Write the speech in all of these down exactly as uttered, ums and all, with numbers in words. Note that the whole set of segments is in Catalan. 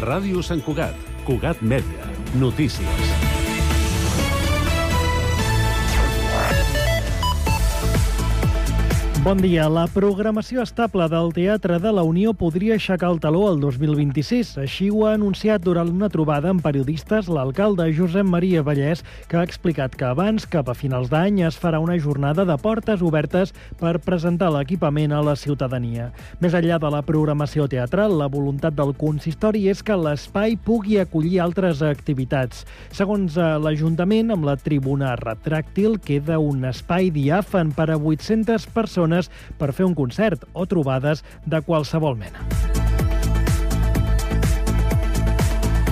Ràdio Sant Cugat, Cugat Mèdia, notícies. Bon dia. La programació estable del Teatre de la Unió podria aixecar el taló el dos mil vint-i-sis. Així ho ha anunciat durant una trobada amb periodistes l'alcalde Josep Maria Vallès, que ha explicat que abans, cap a finals d'any, es farà una jornada de portes obertes per presentar l'equipament a la ciutadania. Més enllà de la programació teatral, la voluntat del consistori és que l'espai pugui acollir altres activitats. Segons l'Ajuntament, amb la tribuna retràctil queda un espai diàfan per a vuit-centes persones per fer un concert o trobades de qualsevol mena.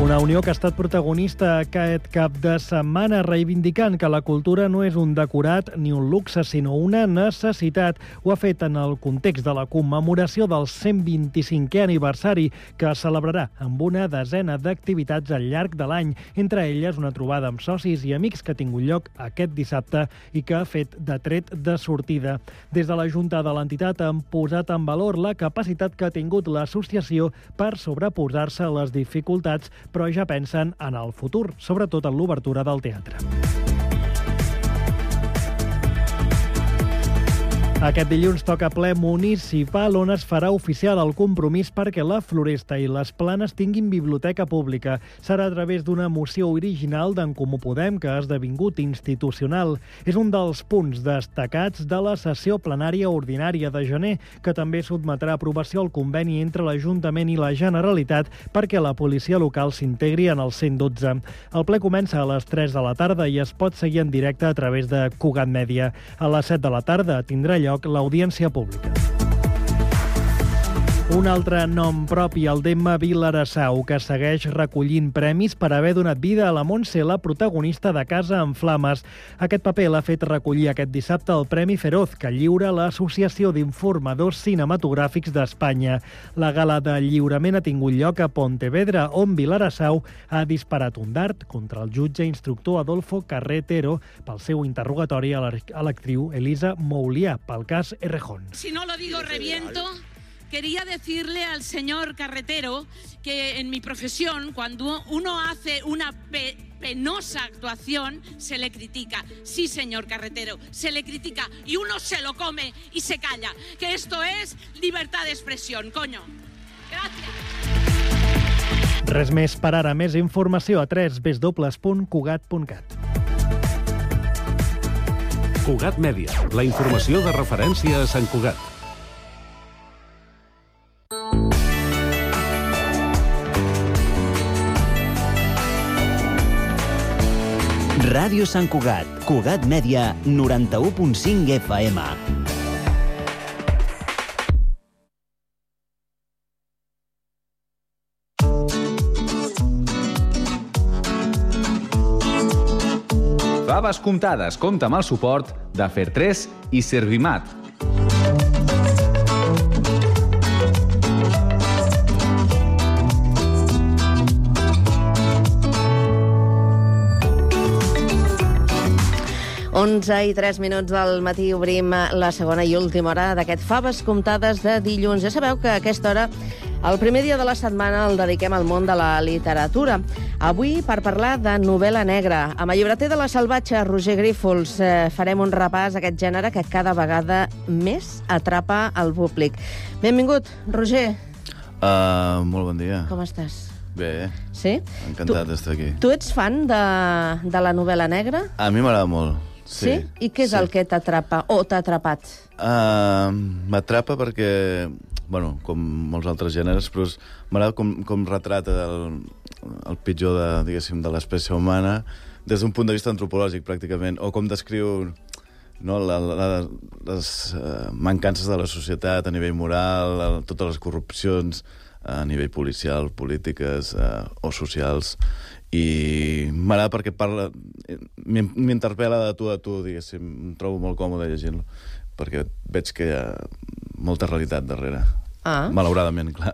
Una Unió que ha estat protagonista aquest cap de setmana reivindicant que la cultura no és un decorat ni un luxe, sinó una necessitat. Ho ha fet en el context de la commemoració del cent vint-i-cinquè aniversari, que es celebrarà amb una desena d'activitats al llarg de l'any, entre elles una trobada amb socis i amics que ha tingut lloc aquest dissabte i que ha fet de tret de sortida. Des de la Junta de l'entitat han posat en valor la capacitat que ha tingut l'associació per sobreposar-se a les dificultats, però ja pensen en el futur, sobretot en l'obertura del teatre. Aquest dilluns toca ple municipal, on es farà oficial el compromís perquè la Floresta i les Planes tinguin biblioteca pública. Serà a través d'una moció original d'en Comú Podem que ha esdevingut institucional. És un dels punts destacats de la sessió plenària ordinària de gener, que també sotmetrà a aprovació el conveni entre l'Ajuntament i la Generalitat perquè la policia local s'integri en el cent dotze. El ple comença a les tres de la tarda i es pot seguir en directe a través de Cugat Mèdia. A les set de la tarda tindrà lloc l'audiència pública. Un altre nom propi, el d'Emma Vilarassau, que segueix recollint premis per haver donat vida a la Montse, la protagonista de Casa en Flames. Aquest paper l'ha fet recollir aquest dissabte el Premi Feroz, que lliura l'Associació d'Informadors Cinematogràfics d'Espanya. La gala de lliurament ha tingut lloc a Pontevedra, on Vilarassau ha disparat un dart contra el jutge instructor Adolfo Carretero pel seu interrogatori a l'actriu Elisa Moulià pel cas Errejón. Si no lo digo, reviento. Quería decirle al señor Carretero que en mi profesión, cuando uno hace una pe penosa actuación, se le critica. Sí, señor Carretero, se le critica y uno se lo come y se calla. Que esto es libertad de expresión, coño. Gracias. Res més per ara. Més informació a w w w punt cugat punt cat. Cugat Mèdia, la informació de referència a Sant Cugat. Ràdio Sant Cugat, Cugat Mèdia, noranta-u punt cinc F M. Faves comptades, compta amb el suport de Fertres i Servimat. onze i tres minuts del matí obrim la segona i última hora d'aquest Faves comptades de dilluns. Ja sabeu que a aquesta hora, el primer dia de la setmana, el dediquem al món de la literatura. Avui per parlar de novel·la negra. Amb el llibreter de La Salvatge, Roger Grífols, eh, farem un repàs a aquest gènere que cada vegada més atrapa el públic. Benvingut, Roger. Uh, molt bon dia. Com estàs? Bé, sí? encantat d'estar aquí. Tu ets fan de, de la novel·la negra? A mi m'agrada molt. Sí? sí? I què és sí. el que t'atrapa o t'ha atrapat? Uh, M'atrapa perquè, bueno, com molts altres gèneres, però m'agrada com, com retrata el, el pitjor de, diguéssim, de l'espècie humana des d'un punt de vista antropològic, pràcticament, o com descriu no, la, la, les uh, mancances de la societat a nivell moral, a, totes les corrupcions a nivell policial, polítiques uh, o socials. I m'agrada perquè parla, m'interpel·la de tu a tu, diguéssim, em trobo molt còmode llegint-lo, perquè veig que hi ha molta realitat darrere. Ah. Malauradament, clar.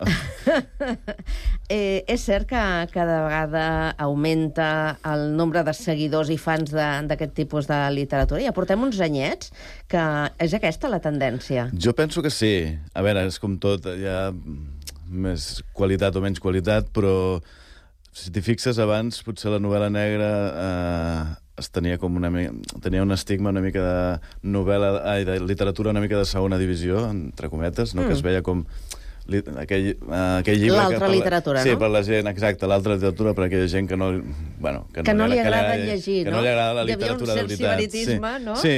eh, és cert que cada vegada augmenta el nombre de seguidors i fans d'aquest tipus de literatura? Ja portem uns anyets que és aquesta la tendència. Jo penso que sí. A veure, és com tot, ja... més qualitat o menys qualitat, però si t'hi fixes, abans potser la novel·la negra eh, es tenia com una tenia un estigma una mica de novel·la, ai, de literatura una mica de segona divisió, entre cometes, no? Mm. Que es veia com aquell, uh, aquell llibre... L'altra literatura, sí, no? Sí, per la gent, exacte, l'altra literatura per aquella gent que no... Bueno, que, que no, no li agrada que llegir, que no? no li agrada la literatura de veritat. Hi havia un cert sibaritisme, sí, no? Sí,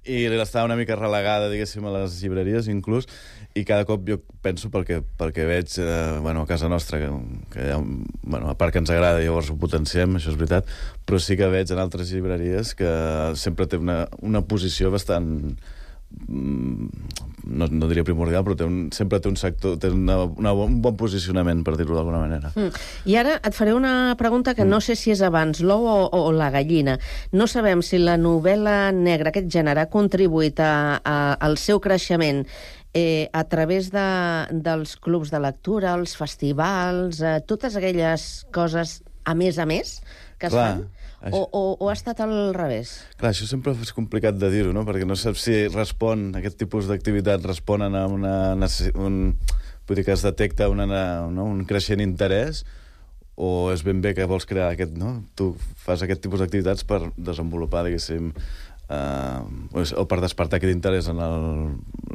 i estava una mica relegada, diguéssim, a les llibreries, inclús, i cada cop jo penso, pel que, pel que veig eh, bueno, a casa nostra, que, que ja, bueno, a part que ens agrada, llavors ho potenciem, això és veritat, però sí que veig en altres llibreries que sempre té una, una posició bastant... No, no diria primordial, però té un, sempre té un sector, té una, una, un bon posicionament, per dir-ho d'alguna manera. Mm. I ara et faré una pregunta que mm. no sé si és abans l'ou o, o la gallina. No sabem si la novel·la negra, aquest gènere, ha contribuït a, a, al seu creixement eh, a través de, dels clubs de lectura, els festivals, eh, totes aquelles coses a més a més que es Clar. fan? O, o, o ha estat al revés? Clar, això sempre és complicat de dir-ho, no? Perquè no saps si respon, aquest tipus d'activitat responen a una... Un, vull dir que es detecta una, no? un creixent interès o és ben bé que vols crear aquest... No? Tu fas aquest tipus d'activitats per desenvolupar, diguéssim, Uh, o per despertar aquest interès en el,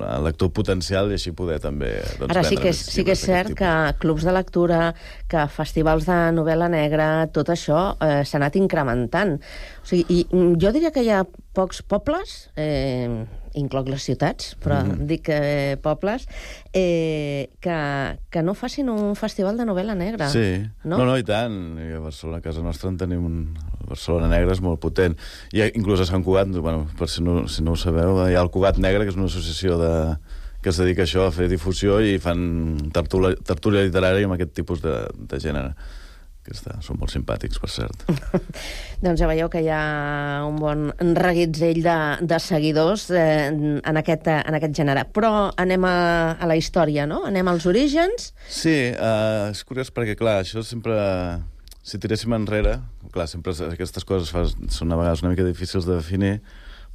el lector potencial i així poder també doncs, ara sí que és, sí que és cert que clubs de lectura, que festivals de novel·la negra, tot això eh, s'ha anat incrementant. O sigui, i jo diria que hi ha pocs pobles, eh, incloc les ciutats, però mm. dic eh, pobles, eh, que, que no facin un festival de novel·la negra. Sí, no, no, no i tant. I a Barcelona, a casa nostra, en tenim un... Barcelona Negra és molt potent. I inclús a Sant Cugat, bueno, per si no, si no ho sabeu, hi ha el Cugat Negre, que és una associació de, que es dedica a això, a fer difusió, i fan tertúlia, tertúlia literària amb aquest tipus de, de gènere. Que està, són molt simpàtics, per cert. Doncs ja veieu que hi ha un bon reguitzell de, de seguidors eh, en, aquest, en aquest gènere. Però anem a, a la història, no? Anem als orígens. Sí, uh, és curiós perquè, clar, això sempre... Si tiréssim enrere, clar, sempre aquestes coses fa, són a vegades una mica difícils de definir,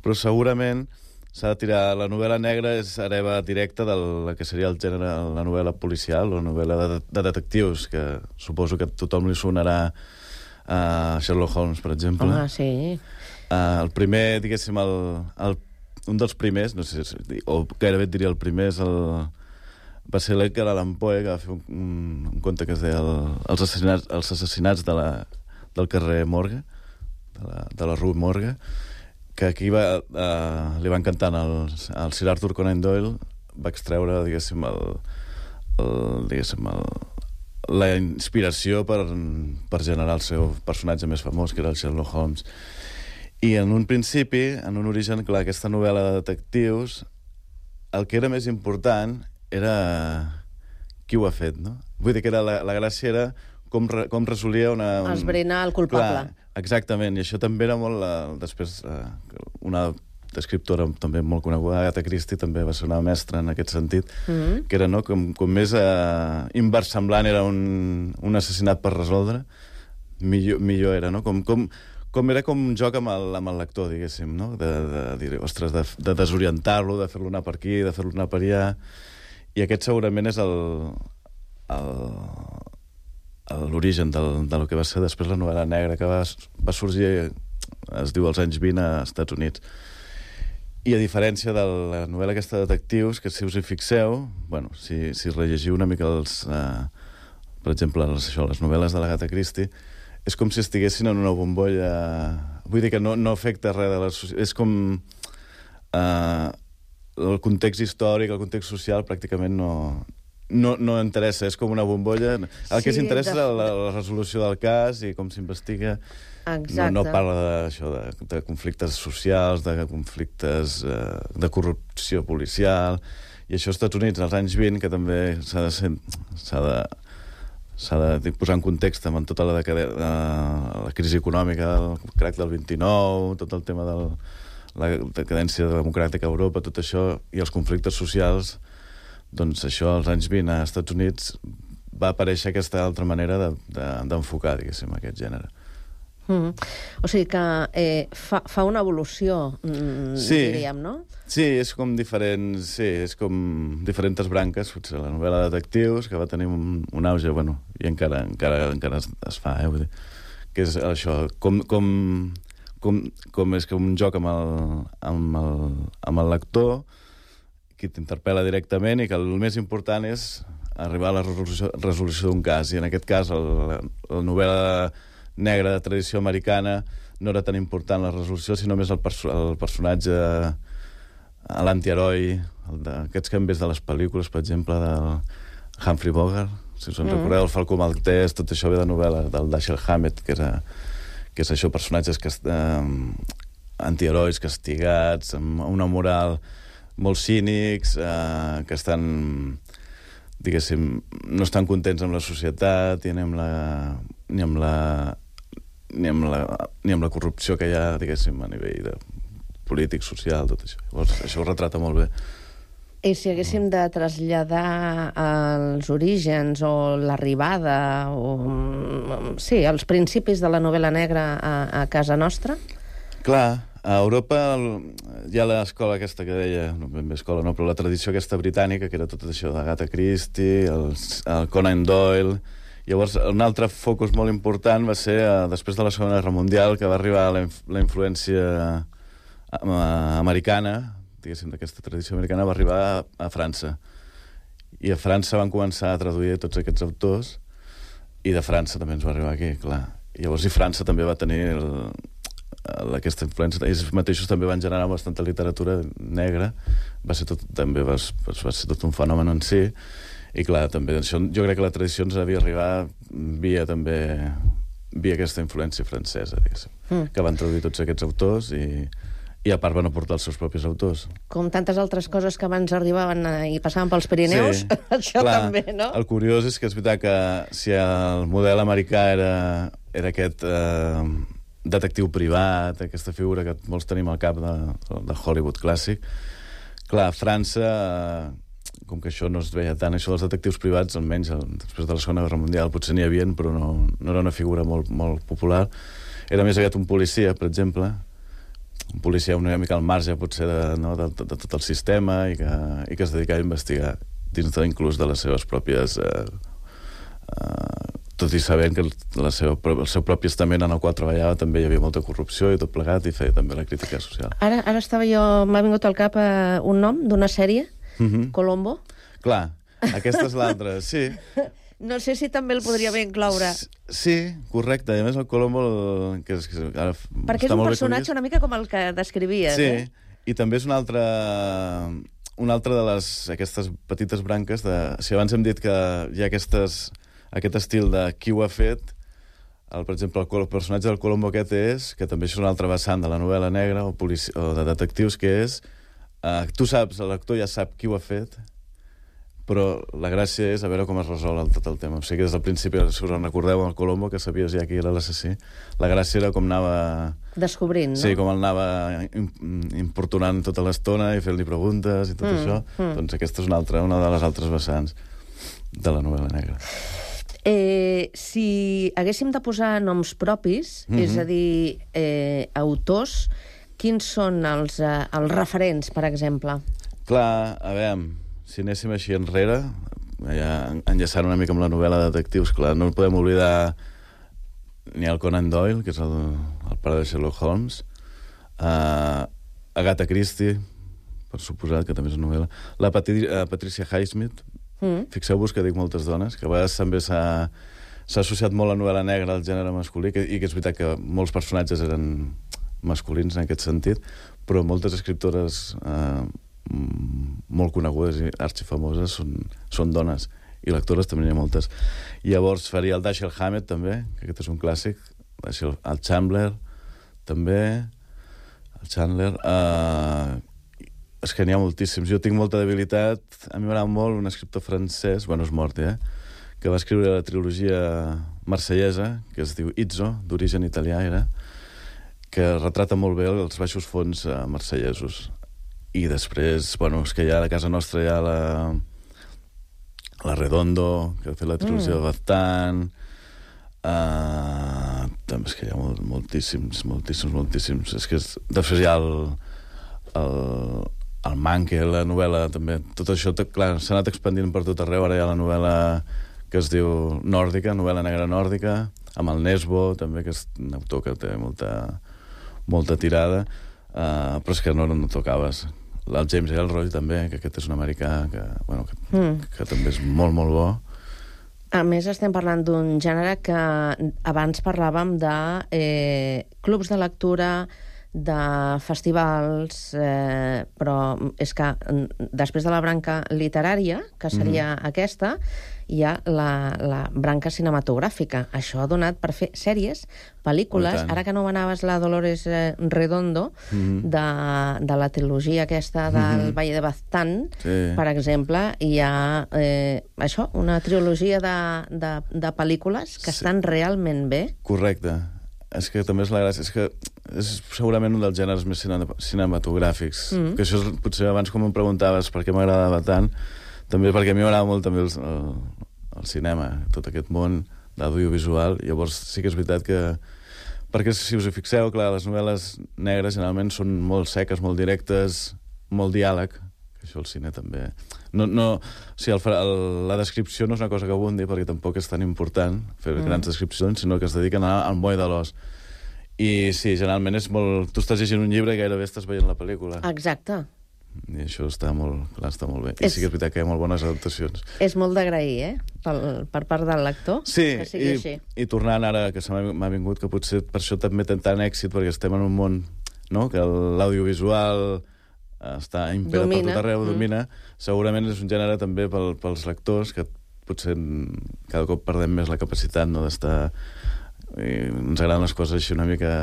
però segurament s'ha de tirar... La novel·la negra és hereva directa del que seria el gènere, la novel·la policial o novel·la de, de detectius, que suposo que a tothom li sonarà a Sherlock Holmes, per exemple. Home, sí. Uh, el primer, diguéssim, el, el, un dels primers, no sé, o gairebé et diria el primer, és el... va ser l'Edgar Allan Poe, que va fer un, un, un conte que es deia el, els assassinats, els assassinats de la, del carrer Morgue, de la, de la Rue Morgue, que aquí va, uh, li va encantar al, al Sir Arthur Conan Doyle, va extreure, diguéssim, el, el, diguéssim el, la inspiració per, per generar el seu personatge més famós, que era el Sherlock Holmes. I en un principi, en un origen, clar, aquesta novel·la de detectius, el que era més important era qui ho ha fet, no? Vull dir que era la, la gràcia era com, re, com resolia una... Un... Esbrinar el culpable. Clar, exactament, i això també era molt... La, després, uh, una escriptora també molt coneguda, Agatha Christie, també va ser una mestra en aquest sentit, mm-hmm. que era, no?, com, com més uh, inversemblant era un, un assassinat per resoldre, millor, millor era, no? Com... com Com era com un joc amb el, amb el lector, diguéssim, no? De, de dir, ostres, de, de desorientar-lo, de fer-lo anar per aquí, de fer-lo anar per allà. I aquest segurament és el, el, l'origen del, del que va ser després la novel·la negra, que va, va sorgir, es diu, als anys vint a Estats Units. I a diferència de la novel·la aquesta de detectius, que si us hi fixeu, bueno, si, si rellegiu una mica els, eh, per exemple, les, això, les novel·les de l'Agatha Christie, és com si estiguessin en una bombolla... Vull dir que no, no afecta res de la societat. És com... Eh, el context històric, el context social, pràcticament no, no, no interessa. És com una bombolla. El sí, que s'interessa de... és la, la resolució del cas i com s'investiga. No, no parla d'això, de, de conflictes socials, de conflictes eh, de corrupció policial. I això als Estats Units, als anys vint, que també s'ha de ser... S'ha de, s'ha de posar en context amb tota la, decade... la crisi econòmica, el crac del vint-i-nou, tot el tema de la decadència democràtica a Europa, tot això, i els conflictes socials, doncs això als anys vint als Estats Units va aparèixer aquesta altra manera de, de, d'enfocar, diguéssim, aquest gènere. Mm. O sigui que eh, fa, fa una evolució, mm, Sí. diríem, no? Sí, és com diferents... Sí, és com diferents branques. Potser la novel·la de detectius, que va tenir un, un auge, bueno, i encara, encara, encara es, es fa, eh? Vull dir, que és això, com, com, com, com és que un joc amb el, amb el, amb el lector, qui t'interpel·la directament, i que el més important és arribar a la resolució, resolució d'un cas. I en aquest cas, el, la, la novel·la negra de tradició americana no era tan important la resolució, sinó més el, perso el personatge, l'antiheroi, aquests canvis de les pel·lícules, per exemple, del Humphrey Bogart, si us en mm. recordeu, el Falcó Maltès, tot això ve de novel·la del Dashiell Hammett, que, era, que és això, personatges que, eh, antiherois castigats, amb una moral molt cínics, eh, que estan, diguéssim, no estan contents amb la societat i ni amb la, ni amb la, ni amb la, ni amb la corrupció que hi ha, diguéssim, a nivell de polític, social, tot això. Llavors, això ho retrata molt bé. I si haguéssim de traslladar els orígens o l'arribada o, sí, els principis de la novel·la negra a, a casa nostra? Clar, a Europa hi ha l'escola aquesta que deia, no ben bé escola, no, però la tradició aquesta britànica, que era tot això d'Agatha Christie, el, el Conan Doyle. Llavors, un altre focus molt important va ser, eh, després de la Segona Guerra Mundial, que va arribar la, inf la influència americana, diguéssim, d'aquesta tradició americana, va arribar a, a França. I a França van començar a traduir tots aquests autors, i de França també ens va arribar aquí, clar. I llavors, i França també va tenir el, el, aquesta influència. Ells mateixos també van generar bastanta literatura negra. Va ser tot, també va, va ser tot un fenomen en si. I clar, també, això, jo crec que la tradició ens havia arribat via també via aquesta influència francesa, diguéssim, mm. que van traduir tots aquests autors i, i a part van aportar els seus propis autors. Com tantes altres coses que abans arribaven i passaven pels Pirineus, sí, això clar, també, no? El curiós és que és veritat que si el model americà era, era aquest eh, detectiu privat, aquesta figura que molts tenim al cap de, de Hollywood clàssic, clar, a França... Eh, com que això no es veia tant, això dels detectius privats, almenys després de la Segona Guerra Mundial, potser n'hi havia, però no, no era una figura molt, molt popular. Era més aviat un policia, per exemple, un policia una mica al marge, potser, de, no, de, de, de tot el sistema, i que, i que es dedicava a investigar dins de, inclús de les seves pròpies... Eh, eh, tot i sabent que la seva, el seu propi estament en el qual treballava també hi havia molta corrupció i tot plegat, i feia també la crítica social. Ara, ara estava jo... M'ha vingut al cap eh, un nom d'una sèrie, Mm-hmm. Colombo? Clar, aquesta és l'altra, sí. No sé si també el podria bé incloure. Sí, correcte. I a més el Colombo... El, que és, que ara perquè és un personatge una mica com el que descrivies, sí, eh? Sí, i també és una altra... Una altra de les, aquestes petites branques de... Si abans hem dit que hi ha aquestes, aquest estil de qui ho ha fet, el, per exemple, el, el personatge del Colombo aquest és, que també és una altra vessant de la novel·la negra o, polici, o de detectius, que és... Uh, tu saps, l'actor ja sap qui ho ha fet, però la gràcia és a veure com es resol el, tot el tema. O sigui que des del principi, si us en recordeu, el Colombo, que sabies ja qui era l'assassí, la gràcia era com anava... Descobrint, no? Sí, com el anava importunant tota l'estona i fent-li preguntes i tot mm, això. Mm. Doncs aquesta és una, altra, una de les altres vessants de la novel·la negra. Eh, si haguéssim de posar noms propis, mm-hmm. és a dir, eh, autors... Quins són els, eh, els referents, per exemple? Clar, a veure, si anéssim així enrere, ja enllaçant una mica amb la novel·la de detectius, clar, no podem oblidar ni el Conan Doyle, que és el, el pare de Sherlock Holmes, uh, Agatha Christie, per suposat, que també és una novel·la, la Patri uh, Patricia Highsmith, mm. fixeu-vos que dic moltes dones, que a vegades també s'ha associat molt la novel·la negra al gènere masculí, que, i que és veritat que molts personatges eren... masculins en aquest sentit, però moltes escriptores eh, molt conegudes i arxifamoses són, són dones, i lectores també n'hi ha moltes. I llavors faria el Dashiell Hammett també, que aquest és un clàssic, el Chandler també, el Chandler, eh, és que n'hi ha moltíssims. Jo tinc molta debilitat, a mi m'agrada molt un escriptor francès, bueno, és mort, eh, que va escriure la trilogia marsellesa, que es diu Izzo, d'origen italià era, que retrata molt bé els baixos fons eh, marsellesos. I després, bueno, és que ja a casa nostra hi ha la, la Redondo, que ha fet la trilogia mm. de Baztán, uh, també és que hi ha molt, moltíssims, moltíssims, moltíssims. És que és, després hi ha el, el, el Manque, la novel·la, també. Tot això, clar, s'ha anat expandint per tot arreu. Ara hi ha la novel·la que es diu nòrdica, novel·la negra nòrdica, amb el Nesbo, també, que és un autor que té molta, molta tirada, uh, però és que no, no tocaves. El James Ellroy, també, que aquest és un americà, que, bueno, que, mm. que també és molt, molt bo. A més, estem parlant d'un gènere que abans parlàvem de eh, clubs de lectura, de festivals, eh, però és que després de la branca literària, que seria mm. aquesta, hi ha la, la branca cinematogràfica. Això ha donat per fer sèries, pel·lícules. Ara que no anaves la Dolores Redondo, mm. de, de la trilogia aquesta del mm. Valle de Baztán, sí. per exemple, hi ha eh, això, una trilogia de, de, de pel·lícules que sí. estan realment bé. Correcte. És que també és la gràcia, és que és segurament un dels gèneres més cinematogràfics. Mm. Que això és, potser abans com em preguntaves per què m'agradava tant, també perquè a mi m'agrada molt també el, el, el cinema, tot aquest món d'audiovisual. Llavors sí que és veritat que... Perquè si us hi fixeu, clar, les novel·les negres generalment són molt seques, molt directes, molt diàleg, que això el cine també... No, no, o sigui, el, el, la descripció no és una cosa que abundi, perquè tampoc és tan important fer mm. grans descripcions, sinó que es dediquen a, al moll de l'os. I sí, generalment és molt... Tu estàs llegint un llibre i gairebé estàs veient la pel·lícula. Exacte. I això està molt, clar, està molt bé. I és, sí que és veritat que hi ha molt bones adaptacions. És molt d'agrair, eh? Per, per part del lector, sí, que sigui i, així. I tornant ara, que se m'ha vingut, que potser per això també té tant èxit, perquè estem en un món, no?, que l'audiovisual està impera domina. Per tot arreu, mm. domina. Segurament és un gènere també pel, pels lectors, que potser cada cop perdem més la capacitat, no?, d'estar... I ens agraden les coses així una mica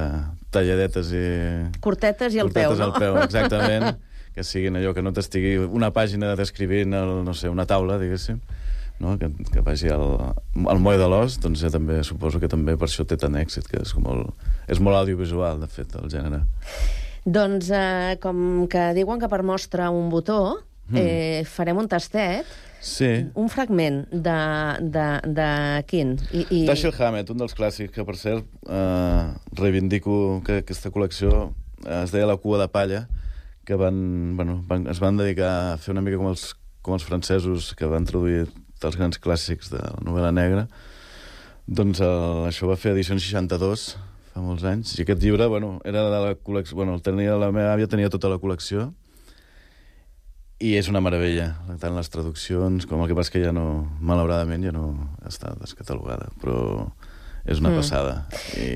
talladetes i... Curtetes i al peu, no? Curtetes al peu, exactament. Que siguin allò, que no t'estigui una pàgina descrivint, el, no sé, una taula, diguéssim, no? que, que vagi al, al moll de l'os, doncs ja també suposo que també per això té tant èxit, que és, com el, és molt audiovisual, de fet, el gènere. Doncs, eh, com que diuen que per mostra un botó, mm. eh, farem un tastet, sí. un fragment de, de, de quin? I, i... Dashiell Hammett, un dels clàssics, que per cert eh, reivindico que aquesta col·lecció eh, es deia La cua de palla, que van, bueno, van, es van dedicar a fer una mica com els, com els francesos que van traduir els grans clàssics de la novel·la negra. Doncs el, això va fer edició seixanta-dos, fa molts anys, i aquest llibre, bueno, era de la col·lecció... Bueno, el tenia, la meva àvia tenia tota la col·lecció, i és una meravella, tant les traduccions com el que passa que ja no, malauradament, ja no està descatalogada, però és una mm. passada. I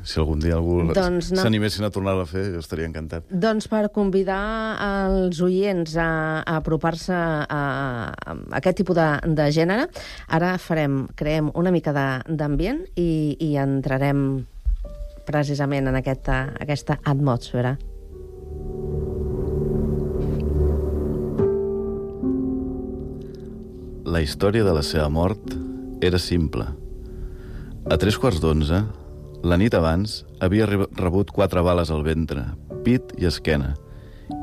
si algun dia algú doncs no. s'animessin a tornar-la a fer, jo estaria encantat. Doncs per convidar els oients a, a apropar-se a, a aquest tipus de, de gènere, ara farem, creem una mica d'ambient i, i entrarem precisament en aquesta, aquesta atmosfera. La història de la seva mort era simple. A tres quarts d'onze, la nit abans, havia rebut quatre bales al ventre, pit i esquena,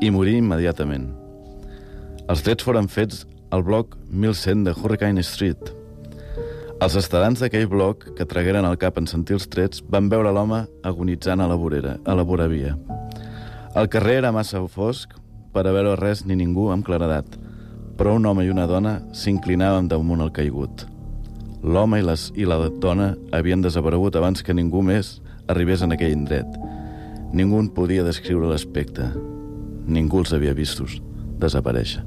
i morí immediatament. Els trets foren fets al bloc mil cent de Hurricane Street. Els estadants d'aquell bloc, que tragueren el cap en sentir els trets, van veure l'home agonitzant a la vorera, a la voravia. El carrer era massa fosc per a veure res ni ningú amb claredat, però un home i una dona s'inclinaven damunt el caigut. L'home i, les, i la dona havien desaparegut abans que ningú més arribés en aquell indret. Ningú en podia descriure l'aspecte. Ningú els havia vistos desaparèixer.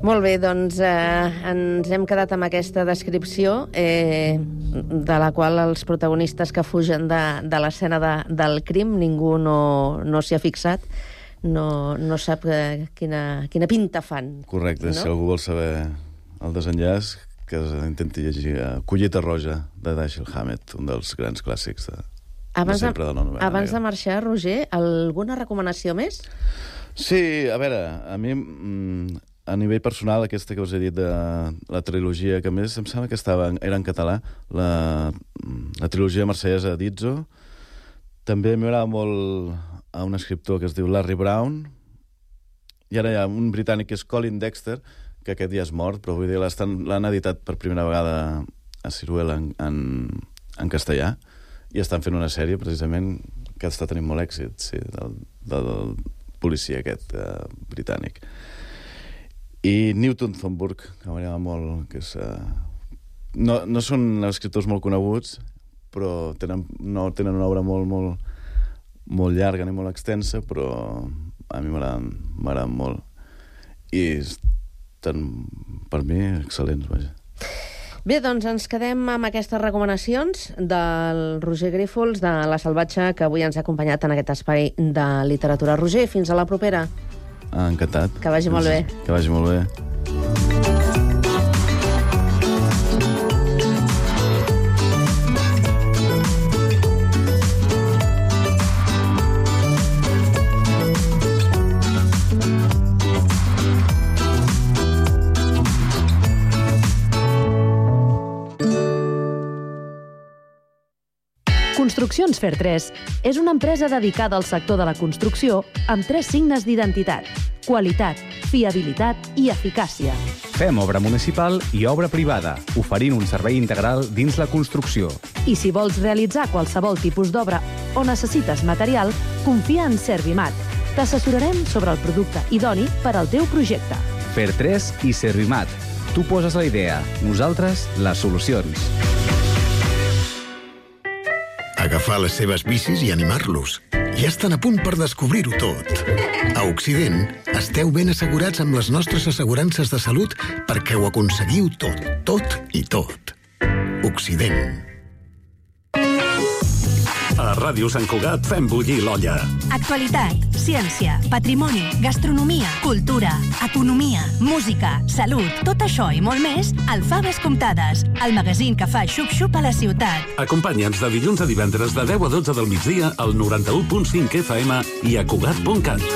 Molt bé, doncs eh, ens hem quedat amb aquesta descripció eh, de la qual els protagonistes que fugen de, de l'escena de, del crim, ningú no, no s'hi ha fixat, no, no sap eh, quina, quina pinta fan. Correcte, no? Si algú vol saber el desenllaç, que intenti llegir uh, Collita Roja, de Dashiell Hammett, un dels grans clàssics de, abans de sempre de la novel·la. Abans de marxar, Roger, alguna recomanació més? Sí, a veure, a mi, a nivell personal, aquesta que us he dit de la trilogia, que a més em sembla que estava, era en català, la, la trilogia Marsellesa d'Izzo, també m'agrada molt a un escriptor que es diu Larry Brown, i ara hi ha un britànic que és Colin Dexter, que aquest ja és mort, però vull dir, l'han editat per primera vegada a Ciruel en, en, en castellà, i estan fent una sèrie, precisament, que està tenint molt èxit, sí, del, del policia aquest uh, britànic. I Newton Thornburg, que m'agrada molt, que és... Uh, no, no són escriptors molt coneguts, però tenen, no, tenen una obra molt, molt, molt llarga ni molt extensa, però a mi m'agraden molt. I estan, per mi, excel·lents, vaja. Bé, doncs ens quedem amb aquestes recomanacions del Roger Grífols, de La Salvatge, que avui ens ha acompanyat en aquest espai de literatura. Roger, fins a la propera. Ah, encantat. Que vagi molt bé. Que vagi molt bé. Construccions Fer tres és una empresa dedicada al sector de la construcció amb tres signes d'identitat: qualitat, fiabilitat i eficàcia. Fem obra municipal i obra privada, oferint un servei integral dins la construcció. I si vols realitzar qualsevol tipus d'obra o necessites material, confia en Servimat. T'assessorarem sobre el producte idoni per al teu projecte. Fer tres i Servimat. Tu poses la idea, nosaltres les solucions. Agafar les seves bicis i animar-los. Ja estan a punt per descobrir-ho tot. A Occident, esteu ben assegurats amb les nostres assegurances de salut perquè ho aconseguiu tot, tot i tot. Occident. A Ràdio Sant Cugat fem bullir l'olla. Actualitat, ciència, patrimoni, gastronomia, cultura, economia, música, salut, tot això i molt més al Faves Comptades, el magazín que fa xup-xup a la ciutat. Acompanya'ns de dilluns a divendres de deu a dotze del migdia al noranta-u punt cinc F M i a Cugat punt cat.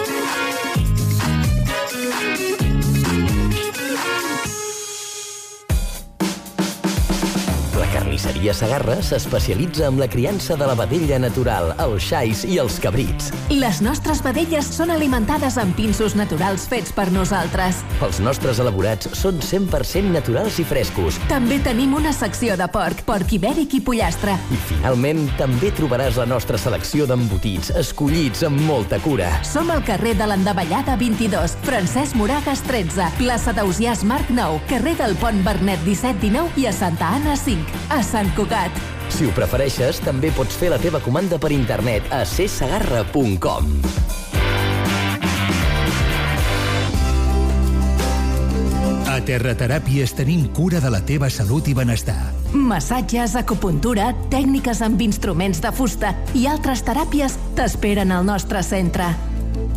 Carnisseria Segarra s'especialitza en la criança de la vedella natural, els xais i els cabrits. Les nostres vedelles són alimentades amb pinsos naturals fets per nosaltres. Els nostres elaborats són cent per cent naturals i frescos. També tenim una secció de porc, porc ibèric i pollastre. I finalment també trobaràs la nostra selecció d'embotits, escollits amb molta cura. Som al carrer de l'Endavellada vint-i-dos, Francesc Moragas tretze, plaça d'Ausiàs Marc nou, carrer del Pont Bernet disset dinou i a Santa Anna cinc. A Sant Cugat. Si ho prefereixes, també pots fer la teva comanda per internet a c segarra punt com. A Terrateràpies tenim cura de la teva salut i benestar. Massatges, acupuntura, tècniques amb instruments de fusta i altres teràpies t'esperen al nostre centre.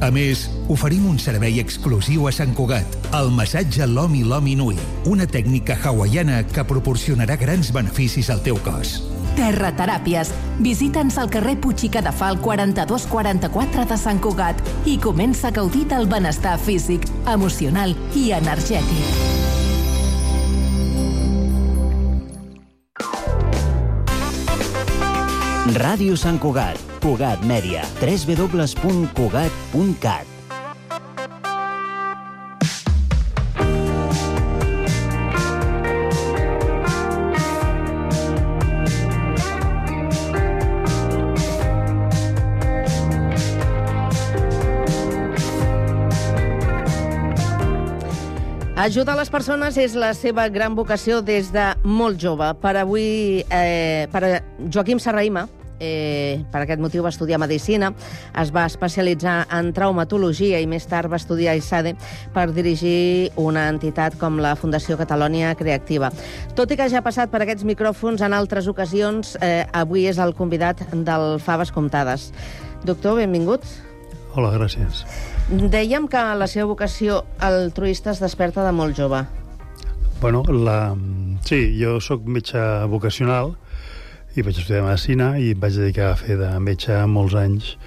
A més, oferim un servei exclusiu a Sant Cugat, el massatge Lomi Lomi Nui, una tècnica hawaiana que proporcionarà grans beneficis al teu cos. Terrateràpies. Visita'ns al carrer Puig i Cadafal quaranta-dos quaranta-quatre de Sant Cugat i comença a gaudir del benestar físic, emocional i energètic. Ràdio Sant Cugat, Cugat Mèdia, w w w punt cugat punt cat. Ajudar les persones és la seva gran vocació des de molt jove. Per avui, eh, per a Joaquim Serrahima, eh, per aquest motiu va estudiar Medicina, es va especialitzar en traumatologia i més tard va estudiar I S A D E per dirigir una entitat com la Fundació Catalònia Creativa. Tot i que ja ha passat per aquests micròfons en altres ocasions, eh, avui és el convidat del Faves Comptades. Doctor, benvingut. Hola, gràcies. Dèiem que la seva vocació altruista es desperta de molt jove. Bueno, la... sí, jo sóc metge vocacional i vaig estudiar Medicina i em vaig dedicar a fer de metge molts anys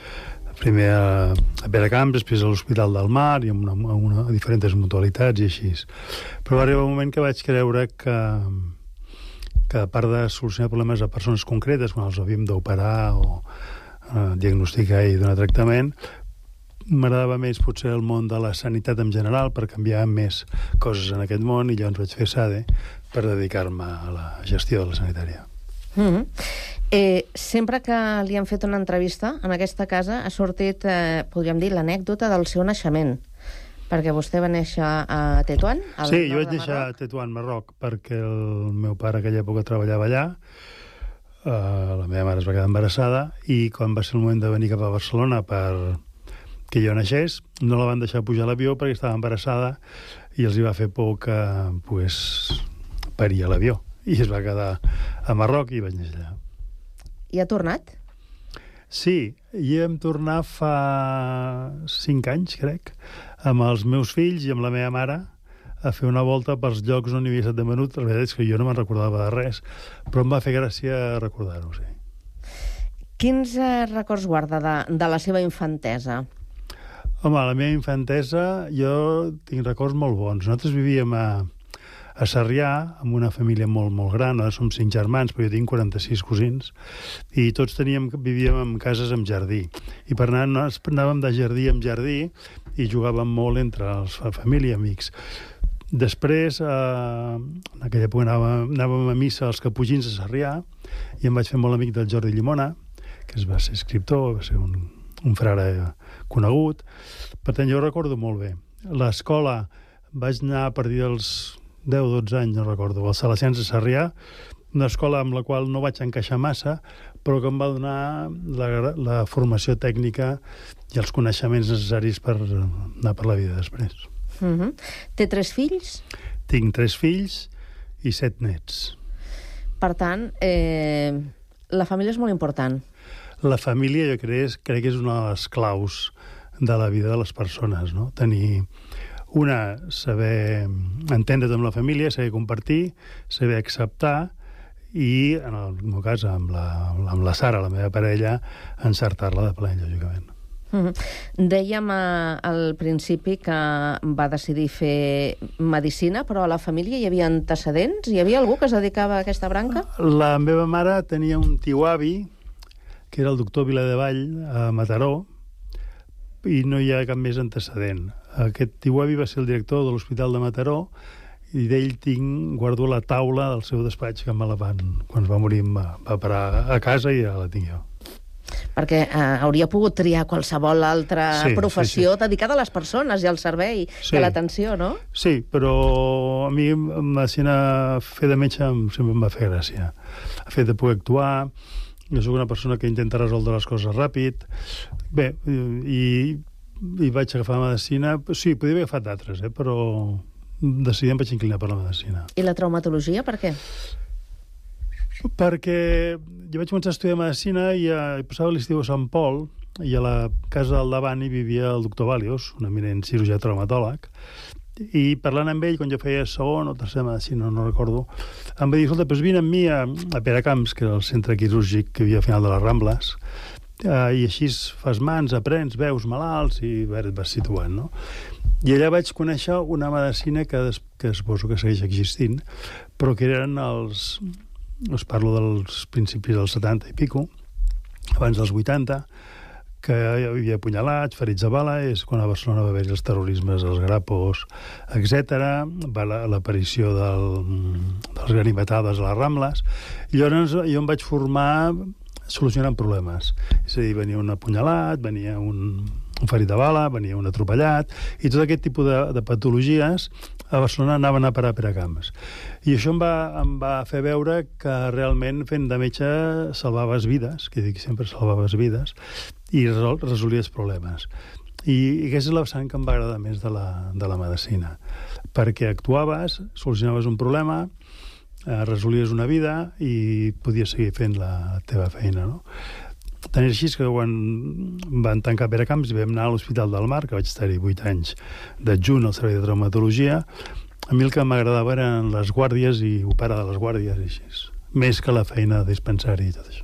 primer a, a Peracamps, després a l'Hospital del Mar i amb una, una, diferents mutualitats i així. Però va arribar un moment que vaig creure que, que a part de solucionar problemes a persones concretes, quan els havíem d'operar o eh, diagnosticar i donar tractament, m'agradava més potser el món de la sanitat en general per canviar més coses en aquest món, i llavors vaig fer SADE per dedicar-me a la gestió de la sanitària. Mm-hmm. eh, sempre que li han fet una entrevista en aquesta casa ha sortit, eh, podríem dir, l'anècdota del seu naixement, perquè vostè va néixer a Tetuan? Sí, jo vaig néixer a Tetuan, Marroc, perquè el meu pare aquella època treballava allà, uh, la meva mare es va quedar embarassada, i quan va ser el moment de venir cap a Barcelona per que jo naixés, no la van deixar pujar a l'avió perquè estava embarassada i els hi va fer por que pues, paria l'avió, i es va quedar a Marroc i vaig néixer allà. I ha tornat? Sí, i vam tornar fa cinc anys, crec, amb els meus fills i amb la meva mare a fer una volta pels llocs on hi havia estat de menut. La veritat és que jo no me'n recordava de res, però em va fer gràcia recordar-ho, sí. Quins eh, records guarda de, de la seva infantesa? Home, la meva infantesa, jo tinc records molt bons. Nosaltres vivíem a, a Sarrià, amb una família molt, molt gran. Ara som cinc germans, però jo tinc quaranta-sis cosins, i tots teníem, vivíem en cases amb jardí. I per anar, anàvem de jardí en jardí i jugàvem molt entre els família i amics. Després, eh, en aquella època anàvem, anàvem a missa als Caputxins de Sarrià, i em vaig fer molt amic del Jordi Llimona, que es va ser escriptor, va ser un, un frare conegut. Per tant, jo ho recordo molt bé. L'escola vaig anar a partir dels deu o dotze anys, no recordo, als Salesians de Sarrià, una escola amb la qual no vaig encaixar massa, però que em va donar la, la formació tècnica i els coneixements necessaris per anar per la vida després. Mm-hmm. Té tres fills? Tinc tres fills i set nets. Per tant, eh, la família és molt important. La família, jo crec, crec que és una de les claus de la vida de les persones, no? Tenir una, saber entendre't amb la família, saber compartir, saber acceptar i, en el meu cas, amb la, amb la Sara, la meva parella, encertar-la de ple, lògicament. Mm-hmm. Dèiem eh, al principi que va decidir fer medicina, però a la família hi havia antecedents? Hi havia algú que es dedicava a aquesta branca? La meva mare tenia un tio-avi, que era el doctor Viladevall, a Mataró, i no hi ha cap més antecedent. Aquest tio-avi va ser el director de l'Hospital de Mataró, i d'ell tinc, guardo la taula del seu despatx, que me la van, quan es va morir em va, va parar a casa i ja la tinc jo. Perquè eh, hauria pogut triar qualsevol altra sí, professió sí, sí. dedicada a les persones i al servei sí. de l'atenció, no? Sí, però a mi medicina, fer de metge sempre em va fer gràcia. El fet de poder actuar, jo soc una persona que intenta resoldre les coses ràpid. Bé, i, i vaig agafar medicina. Sí, podria haver agafat d'altres, eh, però decidint vaig inclinar per la medicina. I la traumatologia, per què? Perquè jo vaig començar a estudiar medicina i a, passava l'estiu a Sant Pol, i a la casa del davant hi vivia el doctor Valios, un eminent cirurgià traumatòleg, i parlant amb ell, quan jo feia segon o tercer medicina, no recordo, em va dir, escolta, doncs vine amb mi a, a Peracamps, que era el centre quirúrgic que hi havia al final de les Rambles, eh, i així fas mans, aprens, veus malalts i bé, et vas situant, no? I allà vaig conèixer una medicina que, que suposo que segueix existint, però que eren els... us parlo dels principis dels setanta i pico, abans dels vuitanta, que hi havia apunyalats, ferits de bala, és quan a Barcelona va haver-hi els terrorismes, els grapos, etcètera, va l'aparició del, dels ganivetades a les Rambles, i llavors jo em vaig formar solucionant problemes. És a dir, venia un apunyalat, venia un, un ferit de bala, venia un atropellat, i tot aquest tipus de, de patologies a Barcelona anaven a parar a Peracamps. I això em va, em va fer veure que realment fent de metge salvaves vides, que dic sempre salvaves vides, i resol, resolies problemes. I, i aquesta és la vessant que em va agradar més de la, de la medicina, perquè actuaves, solucionaves un problema, eh, resolies una vida i podies seguir fent la teva feina, no? Tant és així que quan van tancar Peracamps i vam anar a l'Hospital del Mar, que vaig estar-hi vuit anys d'adjunt al servei de traumatologia, a mi el que m'agradava eren les guàrdies i operar de les guàrdies i així, més que la feina de dispensari i tot això.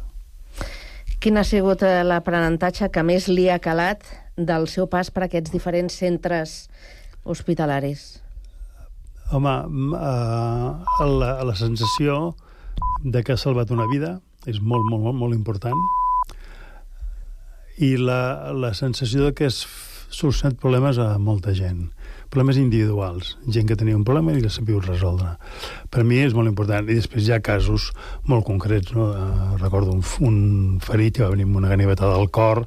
Quin ha sigut l'aprenentatge que més li ha calat del seu pas per aquests diferents centres hospitalaris? Home, uh, la, la sensació de que ha salvat una vida és molt, molt, molt, molt important. I la, la sensació de que has solucionat problemes a molta gent. Problemes individuals. Gent que tenia un problema i que sabia resoldre. Per mi és molt important. I després hi ha casos molt concrets. No? Uh, recordo un, un ferit que va venir amb una ganivetada al cor,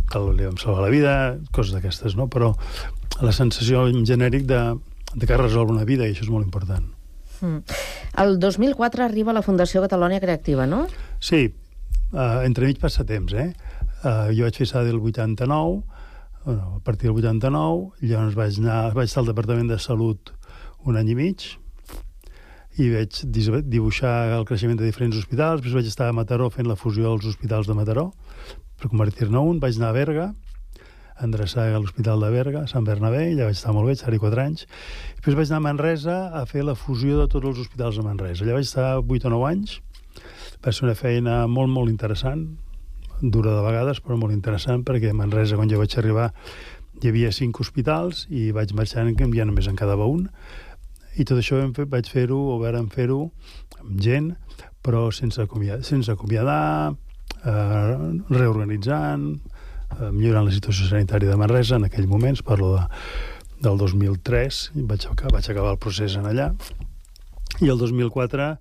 que li vam salvar la vida, coses d'aquestes, no? Però la sensació en genèric de, de que resol una vida, i això és molt important. Mm. El dos mil quatre arriba la Fundació Catalonia Creativa, no? Sí. Uh, entremig passa temps, eh? Uh, jo vaig fer S A D el vuitanta-nou, bueno, a partir del vuitanta-nou, llavors vaig anar, vaig estar al Departament de Salut un any i mig, i vaig dibuixar el creixement de diferents hospitals, després vaig estar a Mataró fent la fusió dels hospitals de Mataró, per convertir-ne un, vaig anar a Berga, a endreçar l'Hospital de Berga, Sant Bernabé, allà vaig estar molt bé, estar-hi quatre anys, i després vaig anar a Manresa a fer la fusió de tots els hospitals de Manresa. Allà vaig estar vuit o nou anys, va ser una feina molt, molt interessant, dura de vegades, però molt interessant, perquè a Manresa, quan jo vaig arribar, hi havia cinc hospitals i vaig marxar canviant, només en quedava un, i tot això vaig fer-ho, o vàrem fer-ho amb gent, però sense acomiadar, sense acomiadar eh, reorganitzant, eh, millorant la situació sanitària de Manresa en aquell moment, parlo de, del dos mil tres, vaig, vaig acabar el procés en allà, i el dos mil quatre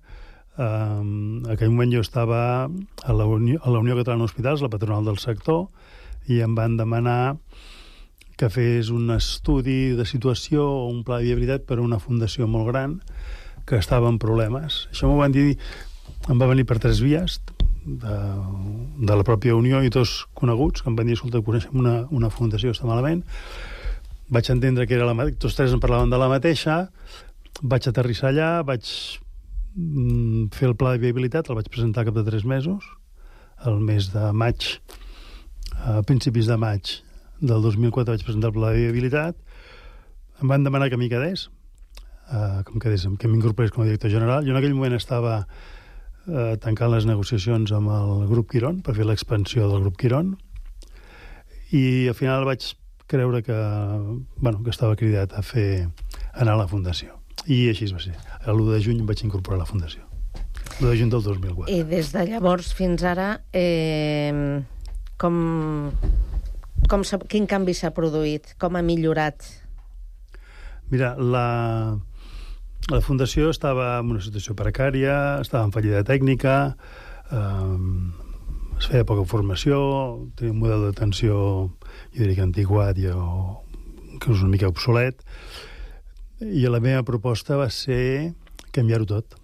en uh, aquell moment jo estava a la Unió, a la Unió Catalana d'Hospitals, la patronal del sector, i em van demanar que fes un estudi de situació o un pla de viabilitat per a una fundació molt gran que estava en problemes. Això m'ho van dir, em va venir per tres vies de, de la pròpia Unió i dos coneguts que em van dir, escolta, coneixem una, una fundació que està malament. Vaig entendre que era la mateixa, tots tres em parlaven de la mateixa, vaig aterrissar allà, vaig fer el pla de viabilitat, el vaig presentar cap de tres mesos, el mes de maig, a principis de maig del dos mil quatre vaig presentar el pla de viabilitat, em van demanar que m'hi quedés, eh, que, quedés que m'incorporés com a director general. Jo en aquell moment estava eh, tancant les negociacions amb el grup Quirón, per fer l'expansió del grup Quirón, i al final vaig creure que, bueno, que estava cridat a fer anar a la fundació. I així va ser. L'u de juny vaig incorporar la fundació. l'u de juny del dos mil quatre. I des de llavors fins ara, eh, com, com quin canvi s'ha produït? Com ha millorat? Mira, la, la fundació estava en una situació precària, estava en fallida tècnica, eh, es feia poca formació, tenia un model d'atenció, jo diria que antiquat, o, que és una mica obsolet, i la meva proposta va ser canviar-ho tot,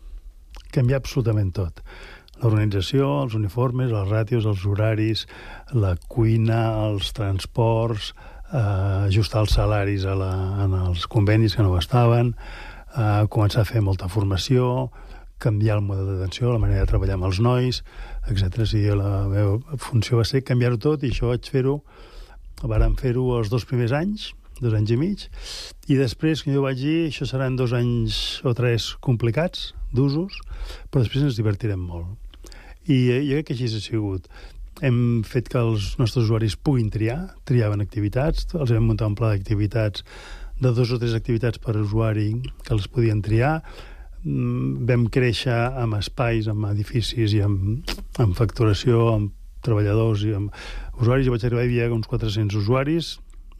canviar absolutament tot. L'organització, els uniformes, les ràtios, els horaris, la cuina, els transports, eh, ajustar els salaris a la, en els convenis que no estaven, eh, començar a fer molta formació, canviar el model d'atenció, la manera de treballar amb els nois, etcètera. Sí, la meva funció va ser canviar-ho tot, i això vaig fer-ho, vàrem fer-ho els dos primers anys, dos anys i mig, i després, que jo vaig dir, això seran dos anys o tres complicats, d'usos, però després ens divertirem molt. I jo crec que així ha sigut. Hem fet que els nostres usuaris puguin triar, triaven activitats, els vam muntar un pla d'activitats de dos o tres activitats per usuari que els podien triar, vam créixer amb espais, amb edificis i amb, amb facturació, amb treballadors i amb usuaris. Jo vaig arribar, hi havia uns quatre-cents usuaris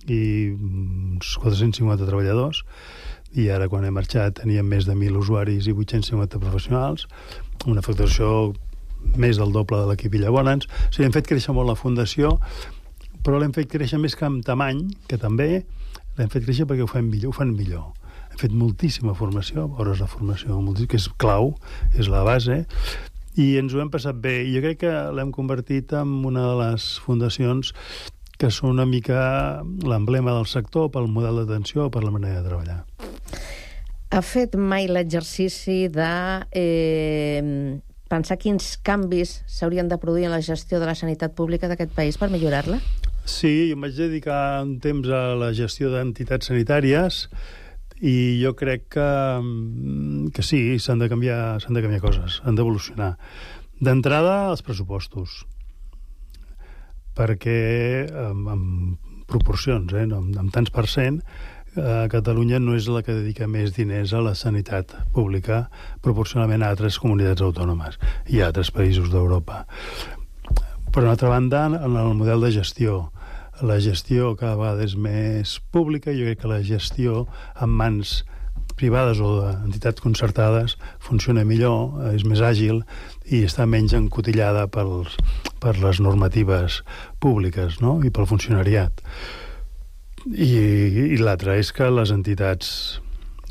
i uns quatre-cents cinquanta treballadors, i ara quan he marxat teníem més de mil usuaris i vuit-cents cinquanta professionals, una facturació més del doble de l'equip Villabonans. O sigui, hem fet créixer molt la fundació, però l'hem fet créixer més que amb tamany, que també l'hem fet créixer perquè ho fan millor, ho fan millor. Hem fet moltíssima formació, hores de formació, que és clau, és la base, i ens ho hem passat bé. I jo crec que l'hem convertit en una de les fundacions que són una mica l'emblema del sector pel model d'atenció, per la manera de treballar. Ha fet mai l'exercici de eh, pensar quins canvis s'haurien de produir en la gestió de la sanitat pública d'aquest país per millorar-la? Sí, jo em vaig dedicar un temps a la gestió d'entitats sanitàries i jo crec que, que sí, s'han de canviar, s'han de canviar coses, han d'evolucionar. D'entrada, els pressupostos. perquè amb, amb proporcions, eh, amb, amb tants per cent, eh, Catalunya no és la que dedica més diners a la sanitat pública proporcionalment a altres comunitats autònomes i a altres països d'Europa. Per una altra banda, en el model de gestió, la gestió cada vegada és més pública. Jo crec que la gestió en mans privades o d'entitats concertades funciona millor, és més àgil i està menys encotillada pels, per les normatives públiques, no? I pel funcionariat. I, i l'altre és que les entitats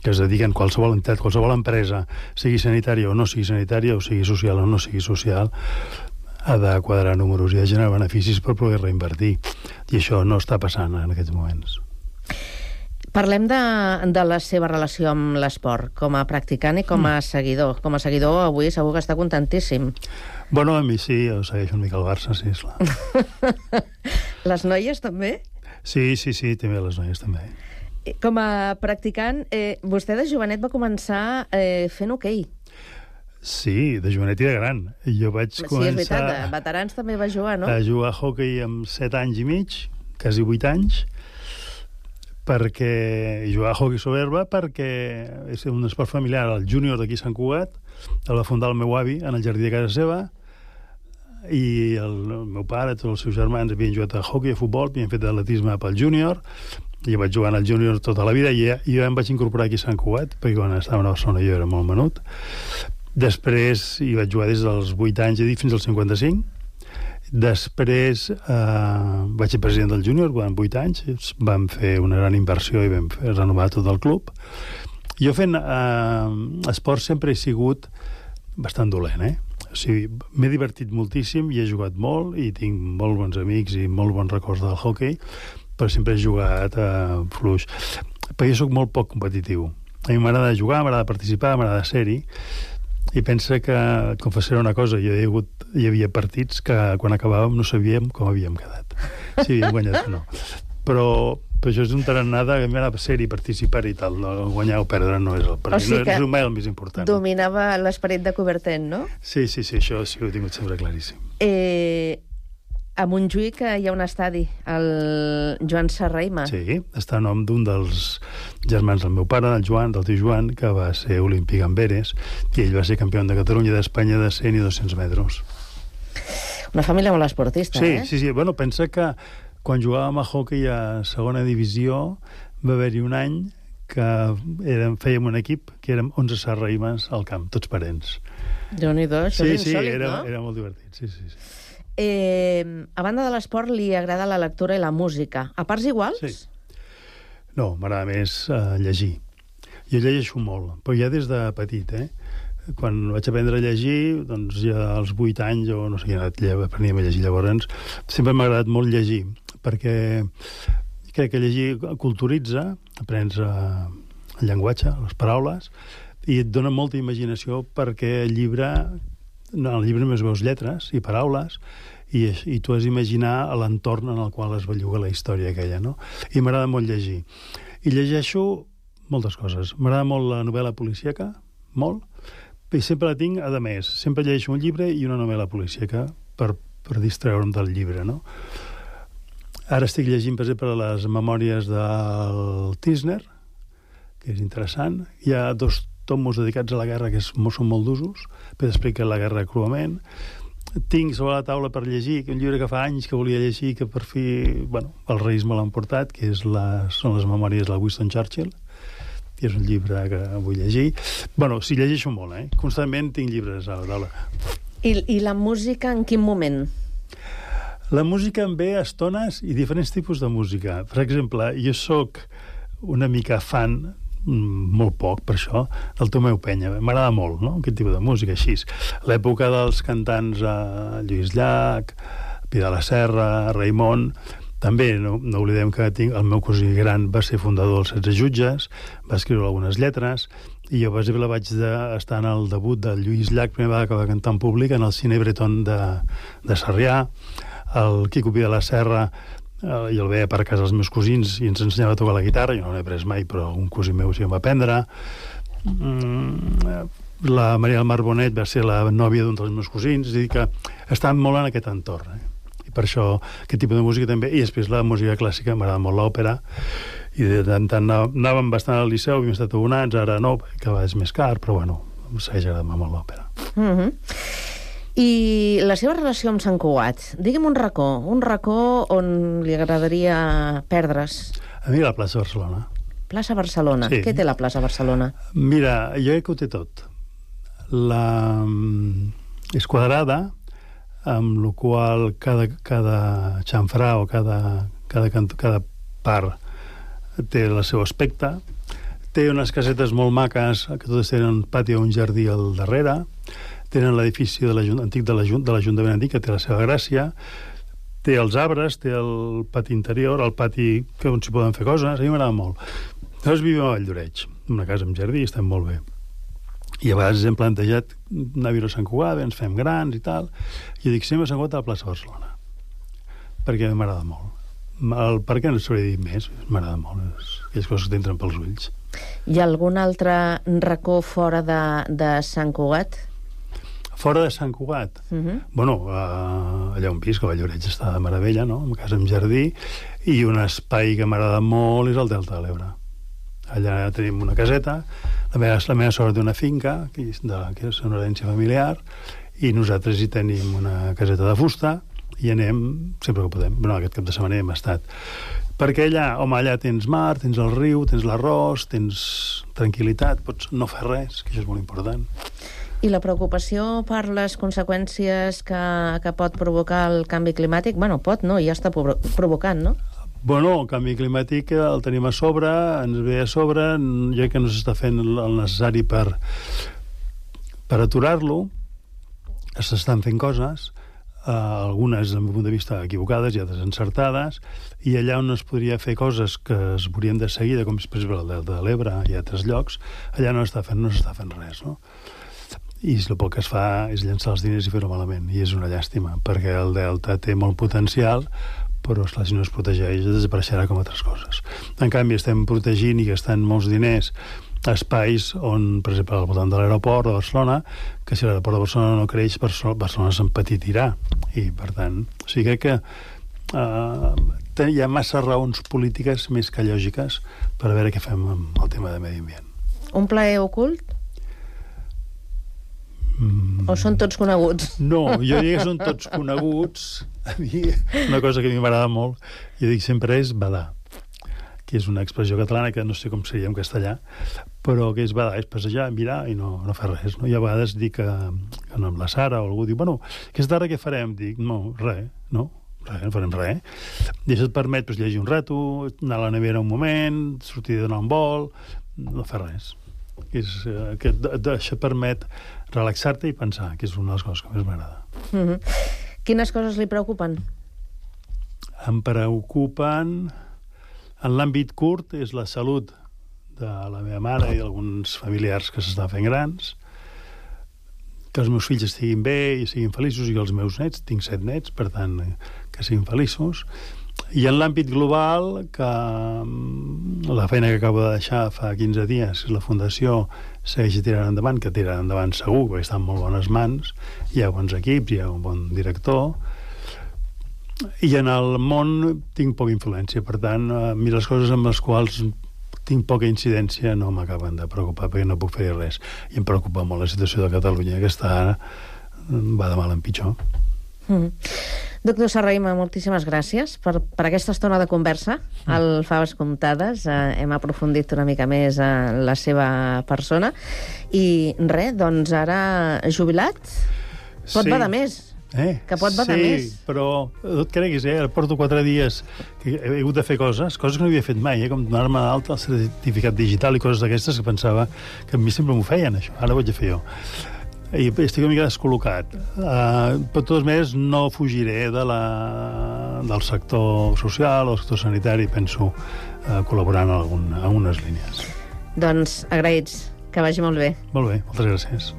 que es dediquen, qualsevol entitat, qualsevol empresa, sigui sanitària o no sigui sanitària, o sigui social o no sigui social, ha de quadrar números i ha de generar beneficis per poder reinvertir. I això no està passant en aquests moments. Parlem de, de la seva relació amb l'esport, com a practicant i com a seguidor. Com a seguidor, avui segur que està contentíssim. Bueno, a mi sí, jo segueixo una mica el Barça, sí, esclar. Les noies també? Sí, sí, sí, també les noies també. Com a practicant, eh, vostè de jovenet va començar eh, fent hoquei. Sí, de jovenet i de gran. Jo vaig sí, començar... Sí, és veritat, de veterans també va jugar, no? A jugar a hoquei amb set anys i mig, quasi vuit anys, perquè jugar a hoquei sobre herba perquè és un esport familiar, el júnior d'aquí a Sant Cugat, el va fundar el meu avi en el jardí de casa seva, i el, el meu pare, tots els seus germans havien jugat a hoquei, a futbol, havien fet atletisme pel júnior, i jo vaig jugar al júnior tota la vida, i ja, jo em vaig incorporar aquí a Sant Cugat, perquè quan estava a Barcelona jo era molt menut. Després hi vaig jugar des dels vuit anys fins als cinquanta-cinc. Després eh, vaig ser president del júnior durant vuit anys, vam fer una gran inversió i vam fer renovar tot el club. Jo fent eh, esport sempre he sigut bastant dolent, eh? O sigui, m'he divertit moltíssim i he jugat molt i tinc molt bons amics i molt bons records del hoquei, però sempre he jugat eh, fluix. Però jo soc molt poc competitiu. A mi m'agrada jugar, m'agrada participar, m'agrada ser-hi. I pensa que, et confessaré una cosa, hi havia, hagut, hi havia partits que quan acabàvem no sabíem com havíem quedat, si havíem guanyat o no. Però, però això és un tarannà de ser-hi, participar i tal, no? Guanyar o perdre no és el, per o sigui no és el més important. Dominava l'esperit de Coubertin, no? Sí, sí, sí, això sí ho he tingut sempre claríssim. Eh... A Montjuïc hi ha un estadi, el Joan Serrahima. Sí, està a nom d'un dels germans del meu pare, del Joan, del tio Joan, que va ser olímpic en Veres, i ell va ser campió de Catalunya i d'Espanya de cent i dos-cents metres. Una família molt esportista, sí, eh? Sí, sí, bueno, pensa que quan jugàvem a hoquei a segona divisió va haver-hi un any que érem, fèiem un equip que érem onze Serrahimes al camp, tots parents. Déu-n'hi-do, això sí, és insòlit, sí, era, no? era molt divertit, sí, sí, sí. Eh, a banda de l'esport, li agrada la lectura i la música. A parts iguals? Sí. No, m'agrada més uh, llegir. Jo llegeixo molt, però ja des de petit, eh? Quan vaig aprendre a llegir, doncs ja als vuit anys, o no sé quina edat apreníem a llegir llavors, sempre m'ha agradat molt llegir, perquè crec que llegir culturitza, aprens uh, el llenguatge, les paraules, i et dona molta imaginació perquè el llibre... No, al llibre només veus lletres i paraules i, i tu has d'imaginar l'entorn en el qual es belluga la història aquella, no? I m'agrada molt llegir. I llegeixo moltes coses. M'agrada molt la novel·la policíaca, molt, i sempre la tinc a més. Sempre llegeixo un llibre i una novel·la policíaca per, per distreure'm del llibre, no? Ara estic llegint, per exemple, les memòries del Tisner, que és interessant. Hi ha dos tomos dedicats a la guerra que és, són molt d'usos, però explica la guerra cruament. Tinc sobre la taula per llegir un llibre que fa anys que volia llegir, que per fi, bueno, els Reis me l'han portat, que és la, són les memòries de Winston Churchill, i és un llibre que vull llegir. Bueno, sí, llegeixo molt, eh? Constantment tinc llibres a la taula. I, i la música en quin moment? La música em ve a estones i diferents tipus de música. Per exemple, jo sóc una mica fan, molt poc per això, del Tomeu Penya. M'agrada molt, no?, aquest tipus de música així. L'època dels cantants eh, Lluís Llach, Pilar la Serra, Raimon, també no, no oblidem que tinc, el meu cosí gran va ser fundador dels setze Jutges, va escriure algunes lletres, i jo, per exemple, vaig de, estar en el debut del Lluís Llach, primera vegada que va cantar en públic, en el Cine Breton de, de Sarrià. El Quico Pilar la Serra Uh, jo el veia per casa dels meus cosins i ens ensenyava a tocar la guitarra, jo no l'he pres mai, però un cosí meu sí em va aprendre. Mm, la Maria del Mar Bonet va ser la nòvia d'un dels meus cosins, és a dir que estan molt en aquest entorn, eh? i per això aquest tipus de música també, i després la música clàssica, m'agrada molt l'òpera, i de tant tant anàvem bastant al Liceu, havíem estat abonats, ara no, que és més car, però bueno, em segueix agradant molt l'òpera. Mm-hmm. I la seva relació amb Sant Cugat? Digue'm un racó, un racó on li agradaria perdre's. A mi la plaça Barcelona. Plaça Barcelona. Sí. Què té la plaça Barcelona? Mira, jo crec que ho té tot. La... és quadrada, amb la qual cada, cada xamfrà o cada, cada, cada part té el seu aspecte. Té unes casetes molt maques, que totes tenen un pati o un jardí al darrere. Tenen l'edifici de antic de l'Ajuntament antic, que té la seva gràcia. Té els arbres, té el pati interior, el pati que on s'hi poden fer coses. A mi m'agrada molt. Nosaltres vivim a Valldoreix, en una casa amb jardí, estem molt bé. I a vegades hem plantejat anar a viure a Sant Cugat, ens fem grans i tal. I jo dic, sempre a Sant Cugat a la plaça Barcelona. Perquè m'agrada molt. El per què no s'hauria dit més? M'agrada molt. Aquelles coses que t'entren pels ulls. Hi ha algun altre racó fora de, de Sant Cugat? Fora de Sant Cugat? Uh-huh. Bueno, uh, allà on visc, a Valldoreix està de meravella, no? Una casa amb jardí, i un espai que m'agrada molt és el Delta de l'Ebre. Allà tenim una caseta, la meva, la meva sort té una finca, que és, de, que és una herència familiar, i nosaltres hi tenim una caseta de fusta, i anem sempre que podem. Bueno, aquest cap de setmana hem estat. Perquè allà, home, allà tens mar, tens el riu, tens l'arròs, tens tranquil·litat, pots no fer res, que això és molt important. I la preocupació per les conseqüències que, que pot provocar el canvi climàtic, bueno, pot, no? Ja està provocant, no? Bueno, el canvi climàtic el tenim a sobre, ens ve a sobre, jo crec que no s'està fent el necessari per, per aturar-lo, s'estan fent coses, eh, algunes, des del meu punt de vista, equivocades i altres encertades, i allà on es podria fer coses que es veurien de seguida, com per exemple el Delta de l'Ebre i altres llocs, allà no s'està fent, no s'està fent res, no? I el poc que es fa és llançar els diners i fer-ho malament, i és una llàstima, perquè el Delta té molt potencial, però esclar, si no es protegeix desapareixerà com altres coses. En canvi, estem protegint i gastant molts diners a espais on, per exemple, al voltant de l'aeroport de Barcelona, que si l'aeroport de Barcelona no creix, Barcelona s'empetitirà, i per tant, o sigui que uh, hi ha massa raons polítiques més que lògiques per a veure què fem amb el tema de medi ambient. Un plaer ocult? Mm. O són tots coneguts? No, jo diria que són tots coneguts. A mi, una cosa que a mi m'agrada molt, jo dic sempre, és badar, que és una expressió catalana que no sé com seria en castellà, però que és badar, és passejar, mirar i no, no fer res, no? I a vegades dic que, que no, amb la Sara o algú diu, bueno, aquesta tarda què farem? Dic, no, res, no? Res, no farem res. I això et permet pues, llegir un rato, anar a la nevera un moment, sortir a donar un vol, no fer res. És, eh, que això permet relaxar-te i pensar, que és una de les coses que més m'agrada. Mm-hmm. Quines coses li preocupen? Em preocupen, en l'àmbit curt, és la salut de la meva mare i d'alguns familiars que s'estan fent grans, que els meus fills estiguin bé i siguin feliços, i que els meus nets, tinc set nets, per tant, que siguin feliços. I en l'àmbit global, que la feina que acabo de deixar fa quinze dies, la Fundació segueix tirant endavant, que tirarà endavant segur, perquè està en molt bones mans, hi ha bons equips, hi ha un bon director, i en el món tinc poca influència, per tant, a mi les coses amb les quals tinc poca incidència no m'acaben de preocupar, perquè no puc fer res. I em preocupa molt la situació de Catalunya, que està ara, va de mal en pitjor. Mm. Doctor Serrahima, moltíssimes gràcies per, per aquesta estona de conversa al Faves Comptades. Eh, hem aprofundit una mica més en la seva persona. I res, doncs ara jubilat, pot Sí. badar més. Eh? Que pot badar sí, més. Sí, però no et creguis, eh? Porto quatre dies que he hagut de fer coses, coses que no havia fet mai, eh? Com donar-me d'alta el certificat digital i coses d'aquestes que pensava que a mi sempre m'ho feien, això. Ara ho haig de fer jo. I estic una mica descol·locat. Uh, però, de totes maneres, no fugiré de la, del sector social o del sector sanitari, penso, uh, col·laborant en, algun, en algunes línies. Doncs agraïts, que vagi molt bé. Molt bé, moltes gràcies.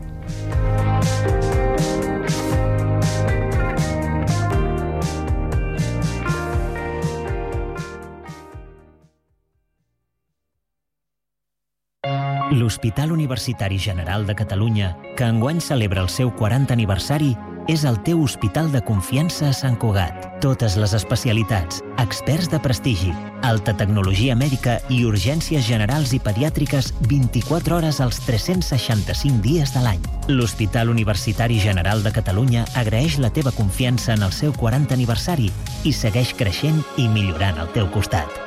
L'Hospital Universitari General de Catalunya, que enguany celebra el seu quaranta aniversari, és el teu hospital de confiança a Sant Cugat. Totes les especialitats, experts de prestigi, alta tecnologia mèdica i urgències generals i pediàtriques vint-i-quatre hores als tres-cents seixanta-cinc dies de l'any. L'Hospital Universitari General de Catalunya agraeix la teva confiança en el seu quaranta aniversari i segueix creixent i millorant al teu costat.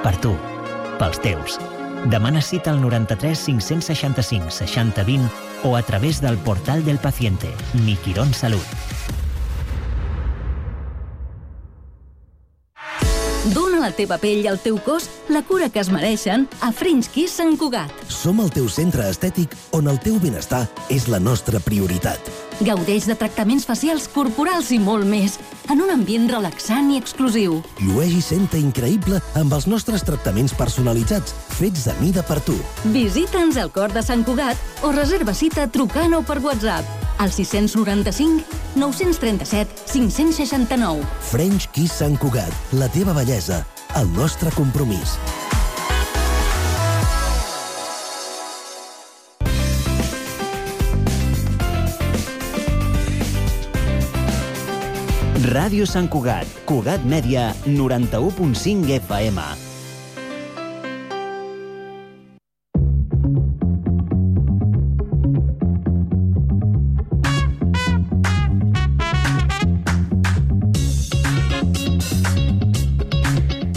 Per tu, pels teus. Demana cita al noranta-tres cinc-cents seixanta-cinc seixanta vint o a través del portal del paciente, Mi Quirón Salut. Dóna a la teva pell i al teu cos la cura que es mereixen a French Kiss Sant Cugat. Som el teu centre estètic on el teu benestar és la nostra prioritat. Gaudeix de tractaments facials, corporals i molt més, en un ambient relaxant i exclusiu. Llueix i senta increïble amb els nostres tractaments personalitzats, fets a mida per tu. Visita'ns al cor de Sant Cugat o reserva cita trucant o per WhatsApp al sis noranta-cinc nou-cents trenta-set cinc-cents seixanta-nou. French Kiss Sant Cugat, la teva bellesa, el nostre compromís. Ràdio Sant Cugat, Cugat Mèdia, noranta-u punt cinc F M.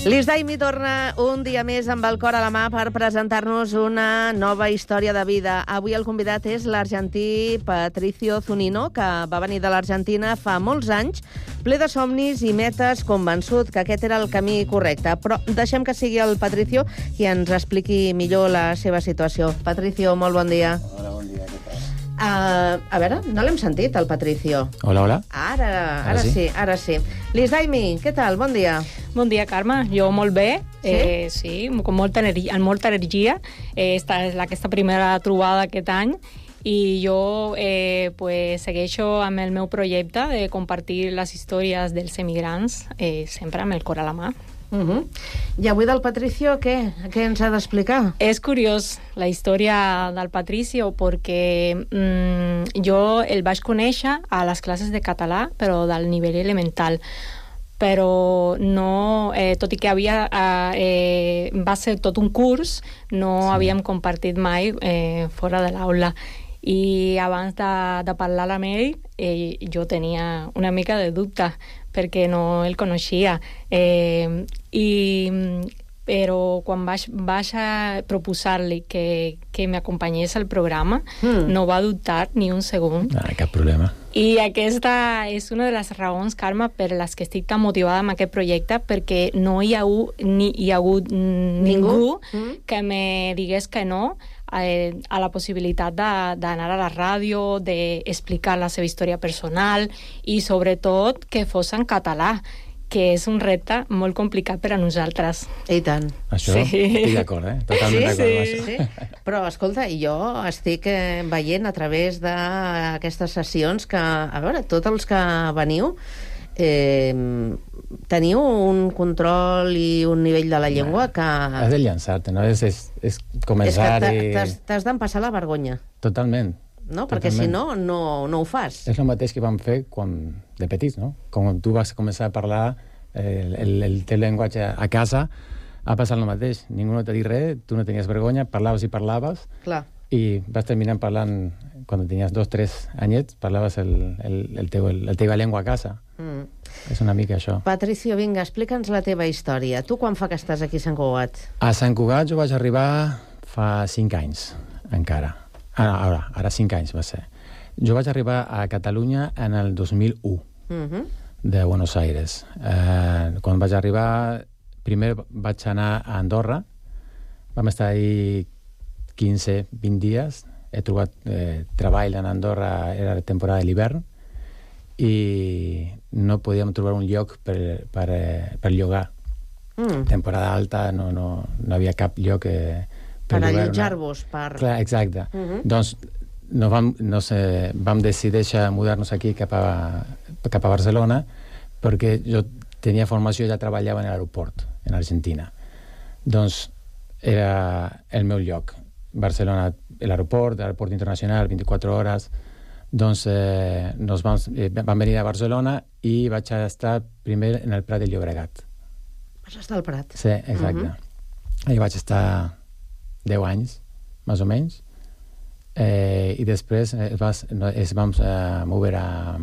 Lis Daimi torna un dia més amb el cor a la mà per presentar-nos una nova història de vida. Avui el convidat és l'argentí Patricio Zunino, que va venir de l'Argentina fa molts anys, ple de somnis i metes, convençut que aquest era el camí correcte. Però deixem que sigui el Patricio qui ens expliqui millor la seva situació. Patricio, molt bon dia. Hola, bon dia, què tal? Uh, a veure, no l'hem sentit, el Patricio. Hola, hola. Ara, ara, Ara sí? sí, ara sí. Lis Daimi, què tal? Bon dia. Bon dia, Carme. Jo molt bé. Sí? Eh, sí, amb molta energia. Amb molta energia. Eh, esta és aquesta primera trobada aquest any i jo eh, pues, segueixo amb el meu projecte de compartir les històries dels emigrants, eh, sempre amb el cor a la mà. Uh-huh. I avui del Patricio, què? Què ens ha d'explicar? És curiós la història del Patricio perquè mm, jo el vaig conèixer a les classes de català, però del nivell elemental. Però no, eh, tot i que havia, eh, va ser tot un curs, no sí. havíem compartit mai eh, fora de l'aula. I abans de, de parlar amb ell, eh, jo tenia una mica de dubte, perquè no el coneixia. Eh, i, però quan vaig, vaig a proposar-li que, que m'acompanyés al programa, mm. no va dubtar ni un segon. Ah, cap problema. I aquesta és una de les raons, Carme, per les que estic tan motivada amb aquest projecte, perquè no hi ha, u, ni, hi ha hagut ningú, ningú mm. que me digués que no eh, a la possibilitat d'anar a la ràdio, d'explicar la seva història personal i, sobretot, que fos en català, que és un repte molt complicat per a nosaltres. I tant. Això sí. Estic d'acord, eh? Totalment sí, d'acord. Sí, sí. Però, escolta, jo estic eh, veient a través d'aquestes sessions que, a veure, tots els que veniu eh, teniu un control i un nivell de la llengua que... Has de llançar-te, no? És, és, és començar és que i... t'has d'empassar la vergonya. Totalment. No? Perquè si no, no, no ho fas. És el mateix que vam fer quan, de petits, no? Quan tu vas començar a parlar eh, el, el teu llenguatge a casa, ha passat el mateix. Ningú no t'ha dit res, tu no tenies vergonya, parlaves i parlaves. Clar. I vas terminar parlant, quan tenies dos, tres anyets, parlaves el, el, el teu, el, el teva llengua a casa. Mm. És una mica això. Patricio, vinga, explica'ns la teva història. Tu quan fa que estàs aquí a Sant Cugat? A Sant Cugat jo vaig arribar fa cinc anys, encara. Ara, ara, ara cinc anys va ser. Jo vaig arribar a Catalunya en el dos mil u, uh-huh. de Buenos Aires. Eh, quan vaig arribar, primer vaig anar a Andorra, vam estar ahí quinze vint dies, he trobat eh, treball en Andorra, era la temporada de l'hivern, i no podíem trobar un lloc per, per, per llogar. Mm. Temporada alta, no, no, no havia cap lloc... Eh, per allotjar-vos, per... Clar, exacte. Uh-huh. Doncs no vam, no sé, vam decidir mudar-nos aquí cap a, cap a Barcelona perquè jo tenia formació i ja treballava en l'aeroport, en Argentina. Doncs era el meu lloc. Barcelona, l'aeroport, l'aeroport internacional, vint-i-quatre hores. Doncs eh, nos vam, eh, vam venir a Barcelona i vaig estar primer en el Prat de Llobregat. Vas estar al Prat? Sí, exacte. Uh-huh. I vaig estar deu anys, més o menys. Eh, I després es, vas, es vam eh, moure a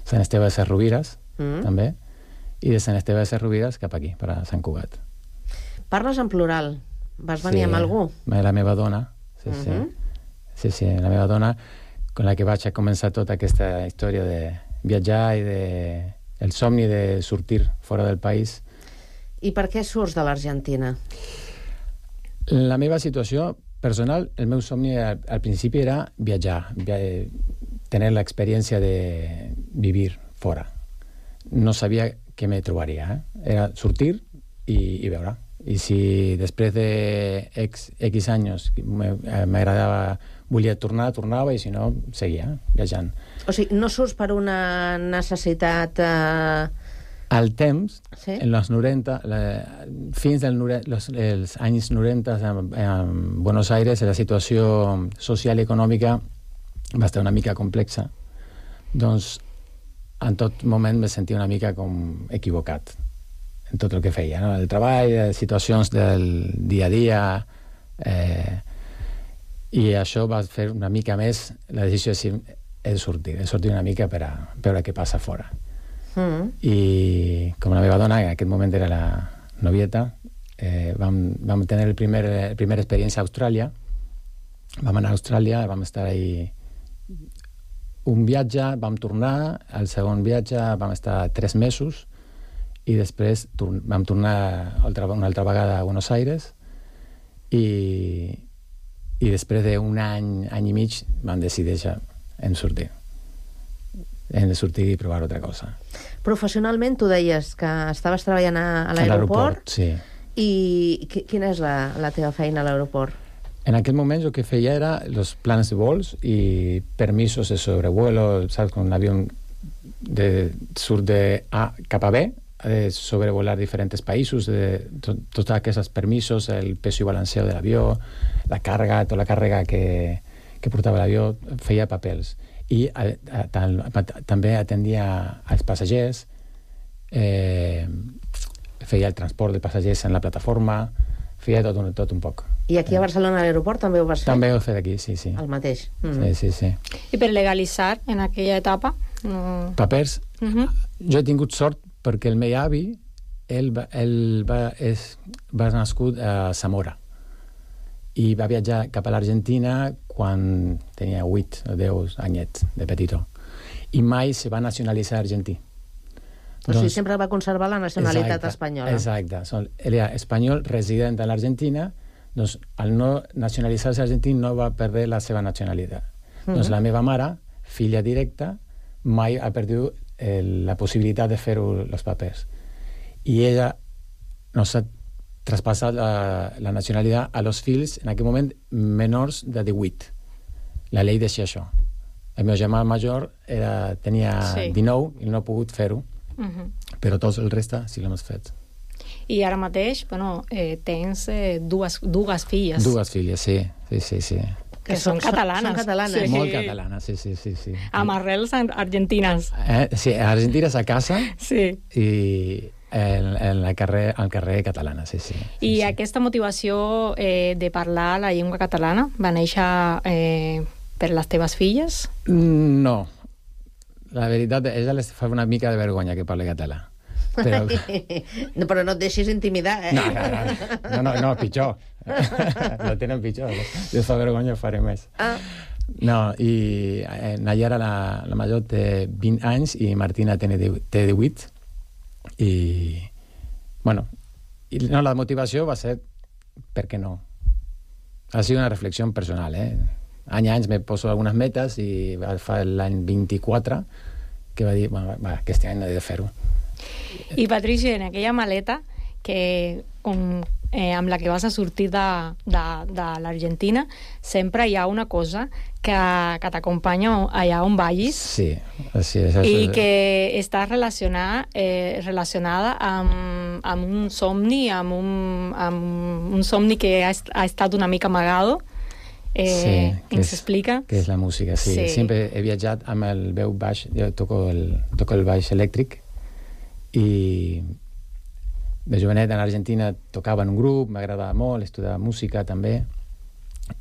Sant Esteve de Sesrovires, uh-huh. també, i de Sant Esteve de Sesrovires cap aquí, per a Sant Cugat. Parles en plural. Vas venir sí, amb algú? La meva dona, sí, uh-huh. sí. Sí, sí, la meva dona, con la que vaig a començar tota aquesta història de viatjar i de... el somni de sortir fora del país. I per què surts de l'Argentina? La meva situació personal, el meu somni al, al principi era viatjar, via... tenir l'experiència de vivir fora. No sabia què me trobaria, eh? Era sortir i, i veure. I si després de X, X anys m'agradava, volia tornar, tornava, i si no, seguia viatjant. O sigui, no surts per una necessitat... Eh... Al temps, sí? en els noranta, la, fins dels los, els anys noranta, en, en Buenos Aires, la situació social i econòmica va estar una mica complexa. Doncs, en tot moment me sentia una mica com equivocat en tot el que feia, no? El treball, les situacions del dia a dia, eh, i això va fer una mica més la decisió de dir, he de sortir, he de sortir una mica per a veure què passa fora. Mm. I com la meva dona, en aquest moment era la novieta, eh, vam, vam tenir el primer, el primer experiència a Austràlia. Vam anar a Austràlia, vam estar ahí un viatge, vam tornar, al segon viatge vam estar tres mesos, i després tor vam tornar altra, una altra vegada a Buenos Aires, i, i després d'un any, any i mig vam decidir ja en sortir. Hem de sortir i provar altra cosa. Professionalment, tu deies que estaves treballant a, a l'aeroport, sí. I quina és la, la teva feina a l'aeroport? En aquell moment el que feia era els plans de vols i permisos de sobrevuelo, saps, con un avió de, surt de A cap a B, de sobrevolar diferents països, de to, tots aquests permisos, el peso i balanceo de l'avió, la càrrega, tota la càrrega que, que portava l'avió, feia papers. I a, a, a, també atendia als passatgers, eh, feia el transport de passatgers en la plataforma, feia tot un, tot un poc. I aquí a Barcelona, a l'aeroport, també ho vas fer? També ho he fet aquí, sí, sí. El mateix? Mm-hmm. Sí, sí, sí. I per legalitzar en aquella etapa? No... Papers? Uh-huh. Jo he tingut sort perquè el meu avi, ell, va, ell va, és, va nascut a Zamora i va viatjar cap a l'Argentina quan tenia vuit o deu anyets de petitó, i mai se va nacionalitzar argentí. O sigui, sempre va conservar la nacionalitat exacte, espanyola. Exacte. Ell era espanyol resident a l'Argentina, doncs al no nacionalitzar-se argentí no va perdre la seva nacionalitat. Uh-huh. Doncs la meva mare, filla directa, mai ha perdut eh, la possibilitat de fer els papers. I ella nos ha traspassat la, la nacionalitat a los fills, en aquell moment, menors de divuit. La llei deixa això. El meu germà major era, tenia sí. dinou i no ha pogut fer-ho. Uh-huh. Però tots el resta sí l'hem fet. I ara mateix, bueno, eh, tens eh, dues, dues filles. Dues filles, sí, sí, sí, sí. Que són catalanes. Són catalanes. Sí. Molt catalanes, sí, sí, sí, sí. Amb arrels argentines. Eh, sí, argentines a casa sí. i en, en la carrer, al carrer catalana, sí, sí. I sí, aquesta motivació eh, de parlar la llengua catalana va néixer eh, per les teves filles? No. La veritat, a ella les fa una mica de vergonya que parli català. Però... no, però no et deixis intimidar, eh? No, no, no, no, no, no pitjor. No tenen pitjor. Si us fa vergonya ho faré més. Ah. No, i eh, Nayara, la, la major, té vint anys i Martina té divuit. I, bueno, i, no, la motivació va ser per què no. Ha sigut una reflexió personal, eh? Any a anys me poso algunes metes i fa l'any vint-i-quatre que va dir, bueno, va, aquest any he de fer-ho. I Patricia, en aquella maleta que com, eh, amb la que vas a sortir de, de, de l'Argentina, sempre hi ha una cosa que, que t'acompanya allà on vagis. Sí, sí, és i que està relacionada, eh, relacionada amb, amb un somni, amb un, amb un somni que ha, ha estat una mica amagado, Eh, sí, ens és, explica? Què és la música, sí. sí. Sempre he viatjat amb el veu baix, jo toco el, toco el baix elèctric, i de jovenet en Argentina tocava en un grup, m'agradava molt, estudiava música també,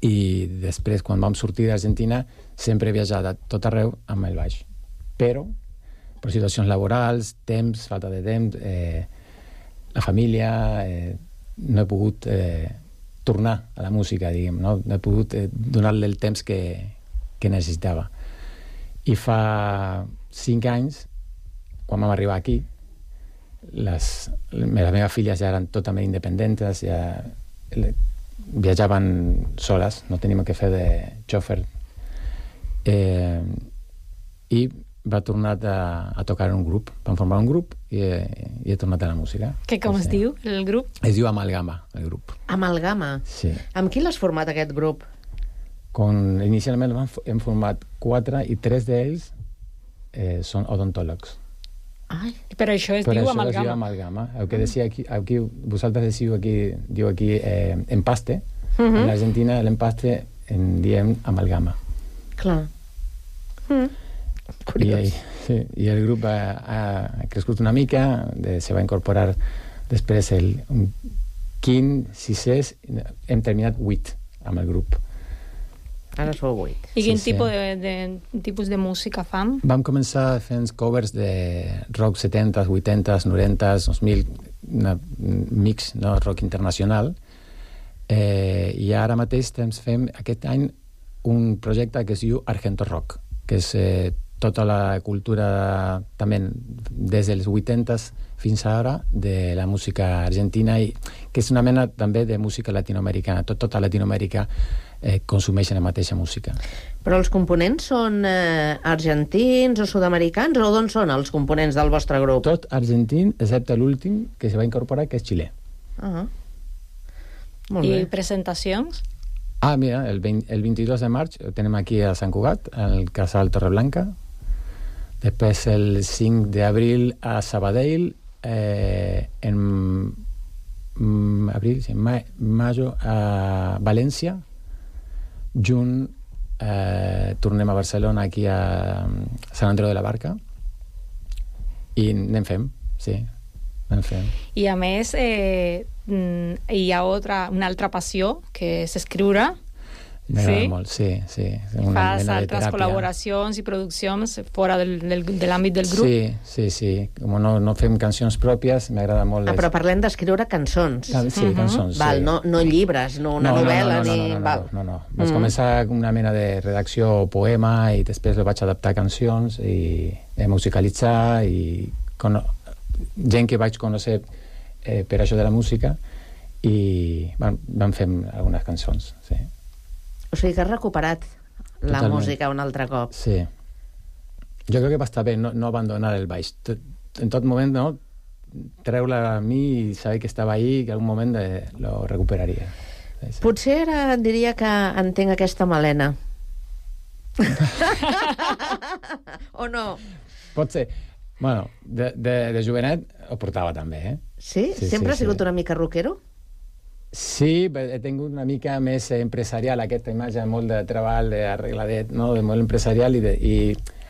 i després quan vam sortir d'Argentina sempre he viatjat a tot arreu amb el baix, però per situacions laborals, temps, falta de temps, eh, la família, eh, no he pogut eh, tornar a la música, diguem, no, no he pogut eh, donar-li el temps que, que necessitava. I fa cinc anys, quan vam arribar aquí, les, les meves filles ja eren totalment independents, ja viatjaven soles, no teníem que fer de xòfer. Eh, I va tornar a, a tocar en un grup. Vam formar un grup i he, i he tornat a la música. Que com sí. es diu, el grup? Es diu Amalgama, el grup. Amalgama? Sí. Amb qui l'has format, aquest grup? Con, inicialment hem format quatre i tres d'ells eh, són odontòlegs. Ai, però això es però diu això amalgama. Es diu amalgama. El que decía aquí, aquí vosaltres decidiu aquí, diu aquí eh, empaste. Uh -huh. En l'Argentina l'empaste en diem amalgama. Clar. Mm. I, sí, i el grup ha, ha crescut una mica, de, se va incorporar després el un quin, sisès, hem terminat vuit amb el grup. Ara sou vuit. I quin sí, tipus, sí. De, de, tipus de música fan? Vam començar fent covers de rock setanta, vuitanta, noranta, dos mil, un mix, no? Rock internacional, eh, i ara mateix fem aquest any un projecte que es diu Argento Rock, que és eh, tota la cultura també des dels vuitanta fins ara de la música argentina, i que és una mena també de música latinoamericana. Tot, tota Latinoamèrica eh, consumeixen la mateixa música. Però els components són eh, argentins o sud-americans, o d'on són els components del vostre grup? Tot argentí, excepte l'últim que se va incorporar, que és xilè. Ah, molt I bé. presentacions? Ah, mira, el, veinte, el veintidós de maig ho tenim aquí a Sant Cugat, al Casal Torreblanca. Després el cinc d'abril a Sabadell, eh, en mm, abril, sí, ma, mayo a València. Juny eh, tornem a Barcelona, aquí a Sant Andreu de la Barca, i anem fem, sí, anem fem. I a més eh, hi ha otra, una altra passió, que és escriure. M'agrada sí? molt, sí, sí. Una Fas mena de altres teràpia. col·laboracions i produccions fora del, del, de l'àmbit del grup? Sí, sí, sí. Com no, no fem cancions pròpies, m'agrada molt... Ah, però parlem d'escriure cançons. Ah, sí, uh-huh. cançons, Val, sí. no, no llibres, no una no, novel·la, no, no, no, ni... no, no, Val. no, no, no. Vaig Mm. començar com una mena de redacció o poema, i després lo vaig adaptar a cancions i a musicalitzar, i con... gent que vaig conèixer eh, per això de la música, i van, van fer algunes cançons, sí. O sigui que has recuperat la Totalment. música un altre cop. Sí. Jo crec que va estar bé no, no abandonar el baix. Tot, en tot moment, no? Treure-la a mi i saber que estava ahí, que algun moment eh, lo recuperaria. Sí, sí. Potser ara diria que entenc aquesta melena. O no? Pot ser. Bueno, de, de, de jovenet ho portava també, eh? Sí? Sí, Sempre sí, has sigut sí. una mica rockero? Sí, he tingut una mica més empresarial, aquesta imatge molt de treball, d'arregladet, no? De molt empresarial, i, de, i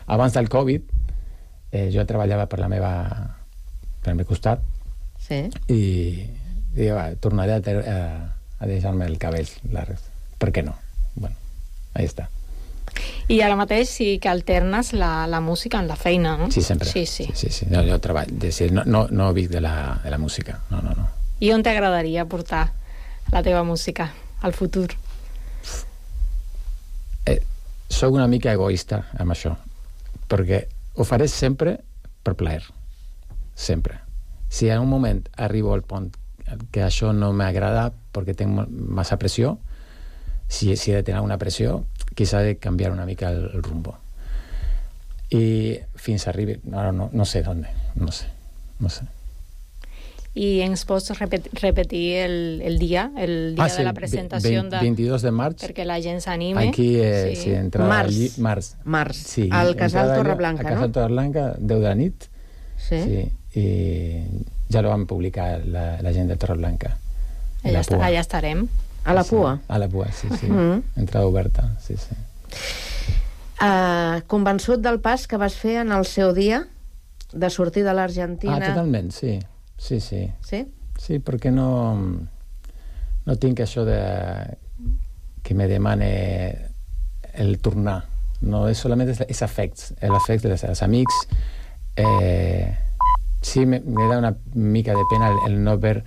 abans del Covid eh, jo treballava per la meva per el meu costat, sí. i, i va, tornaré a, ter, a, a deixar-me el cabell llarg. Per què no? Bueno, ahí està. I ara mateix sí que alternes la, la música en la feina, no? Sí, sempre. Sí, sí. sí, sí. No, jo treballo, no, no, no vic de la, de la música, no, no, no. I on t'agradaria portar la teva música al futur? Eh, soc una mica egoista amb això, perquè ho faré sempre per plaer, sempre. Si en un moment arribo al punt que això no m'agrada perquè tinc massa pressió, si, si he de tenir una pressió, quizá de canviar una mica el, el rumbo. I fins arribi, no, no, no sé d'on, no sé, no sé. I ens pots repet, repetir el, el dia, el dia ah, sí, de la presentació? vint, veintidós de març. Perquè la gent s'anime. Aquí, eh, sí. sí, entrada... Març. Allí, març. Març. Sí, al Casal Torreblanca, no? Al Casal Torreblanca, deu de la nit. Sí. Sí. I ja lo vam publicar la, la gent de Torreblanca. Allà, està, allà estarem. A la pua? Sí, a la pua, sí, sí. Mm. Entrada oberta, sí, sí. Uh, convençut del pas que vas fer en el seu dia de sortir de l'Argentina? Ah, totalment, sí. Sí, sí. Sí? Sí, perquè no, no tinc això de que me demane el tornar. No, és solament és afects, l'afecte dels, dels amics. Eh, sí, me, me da una mica de pena el, el no ver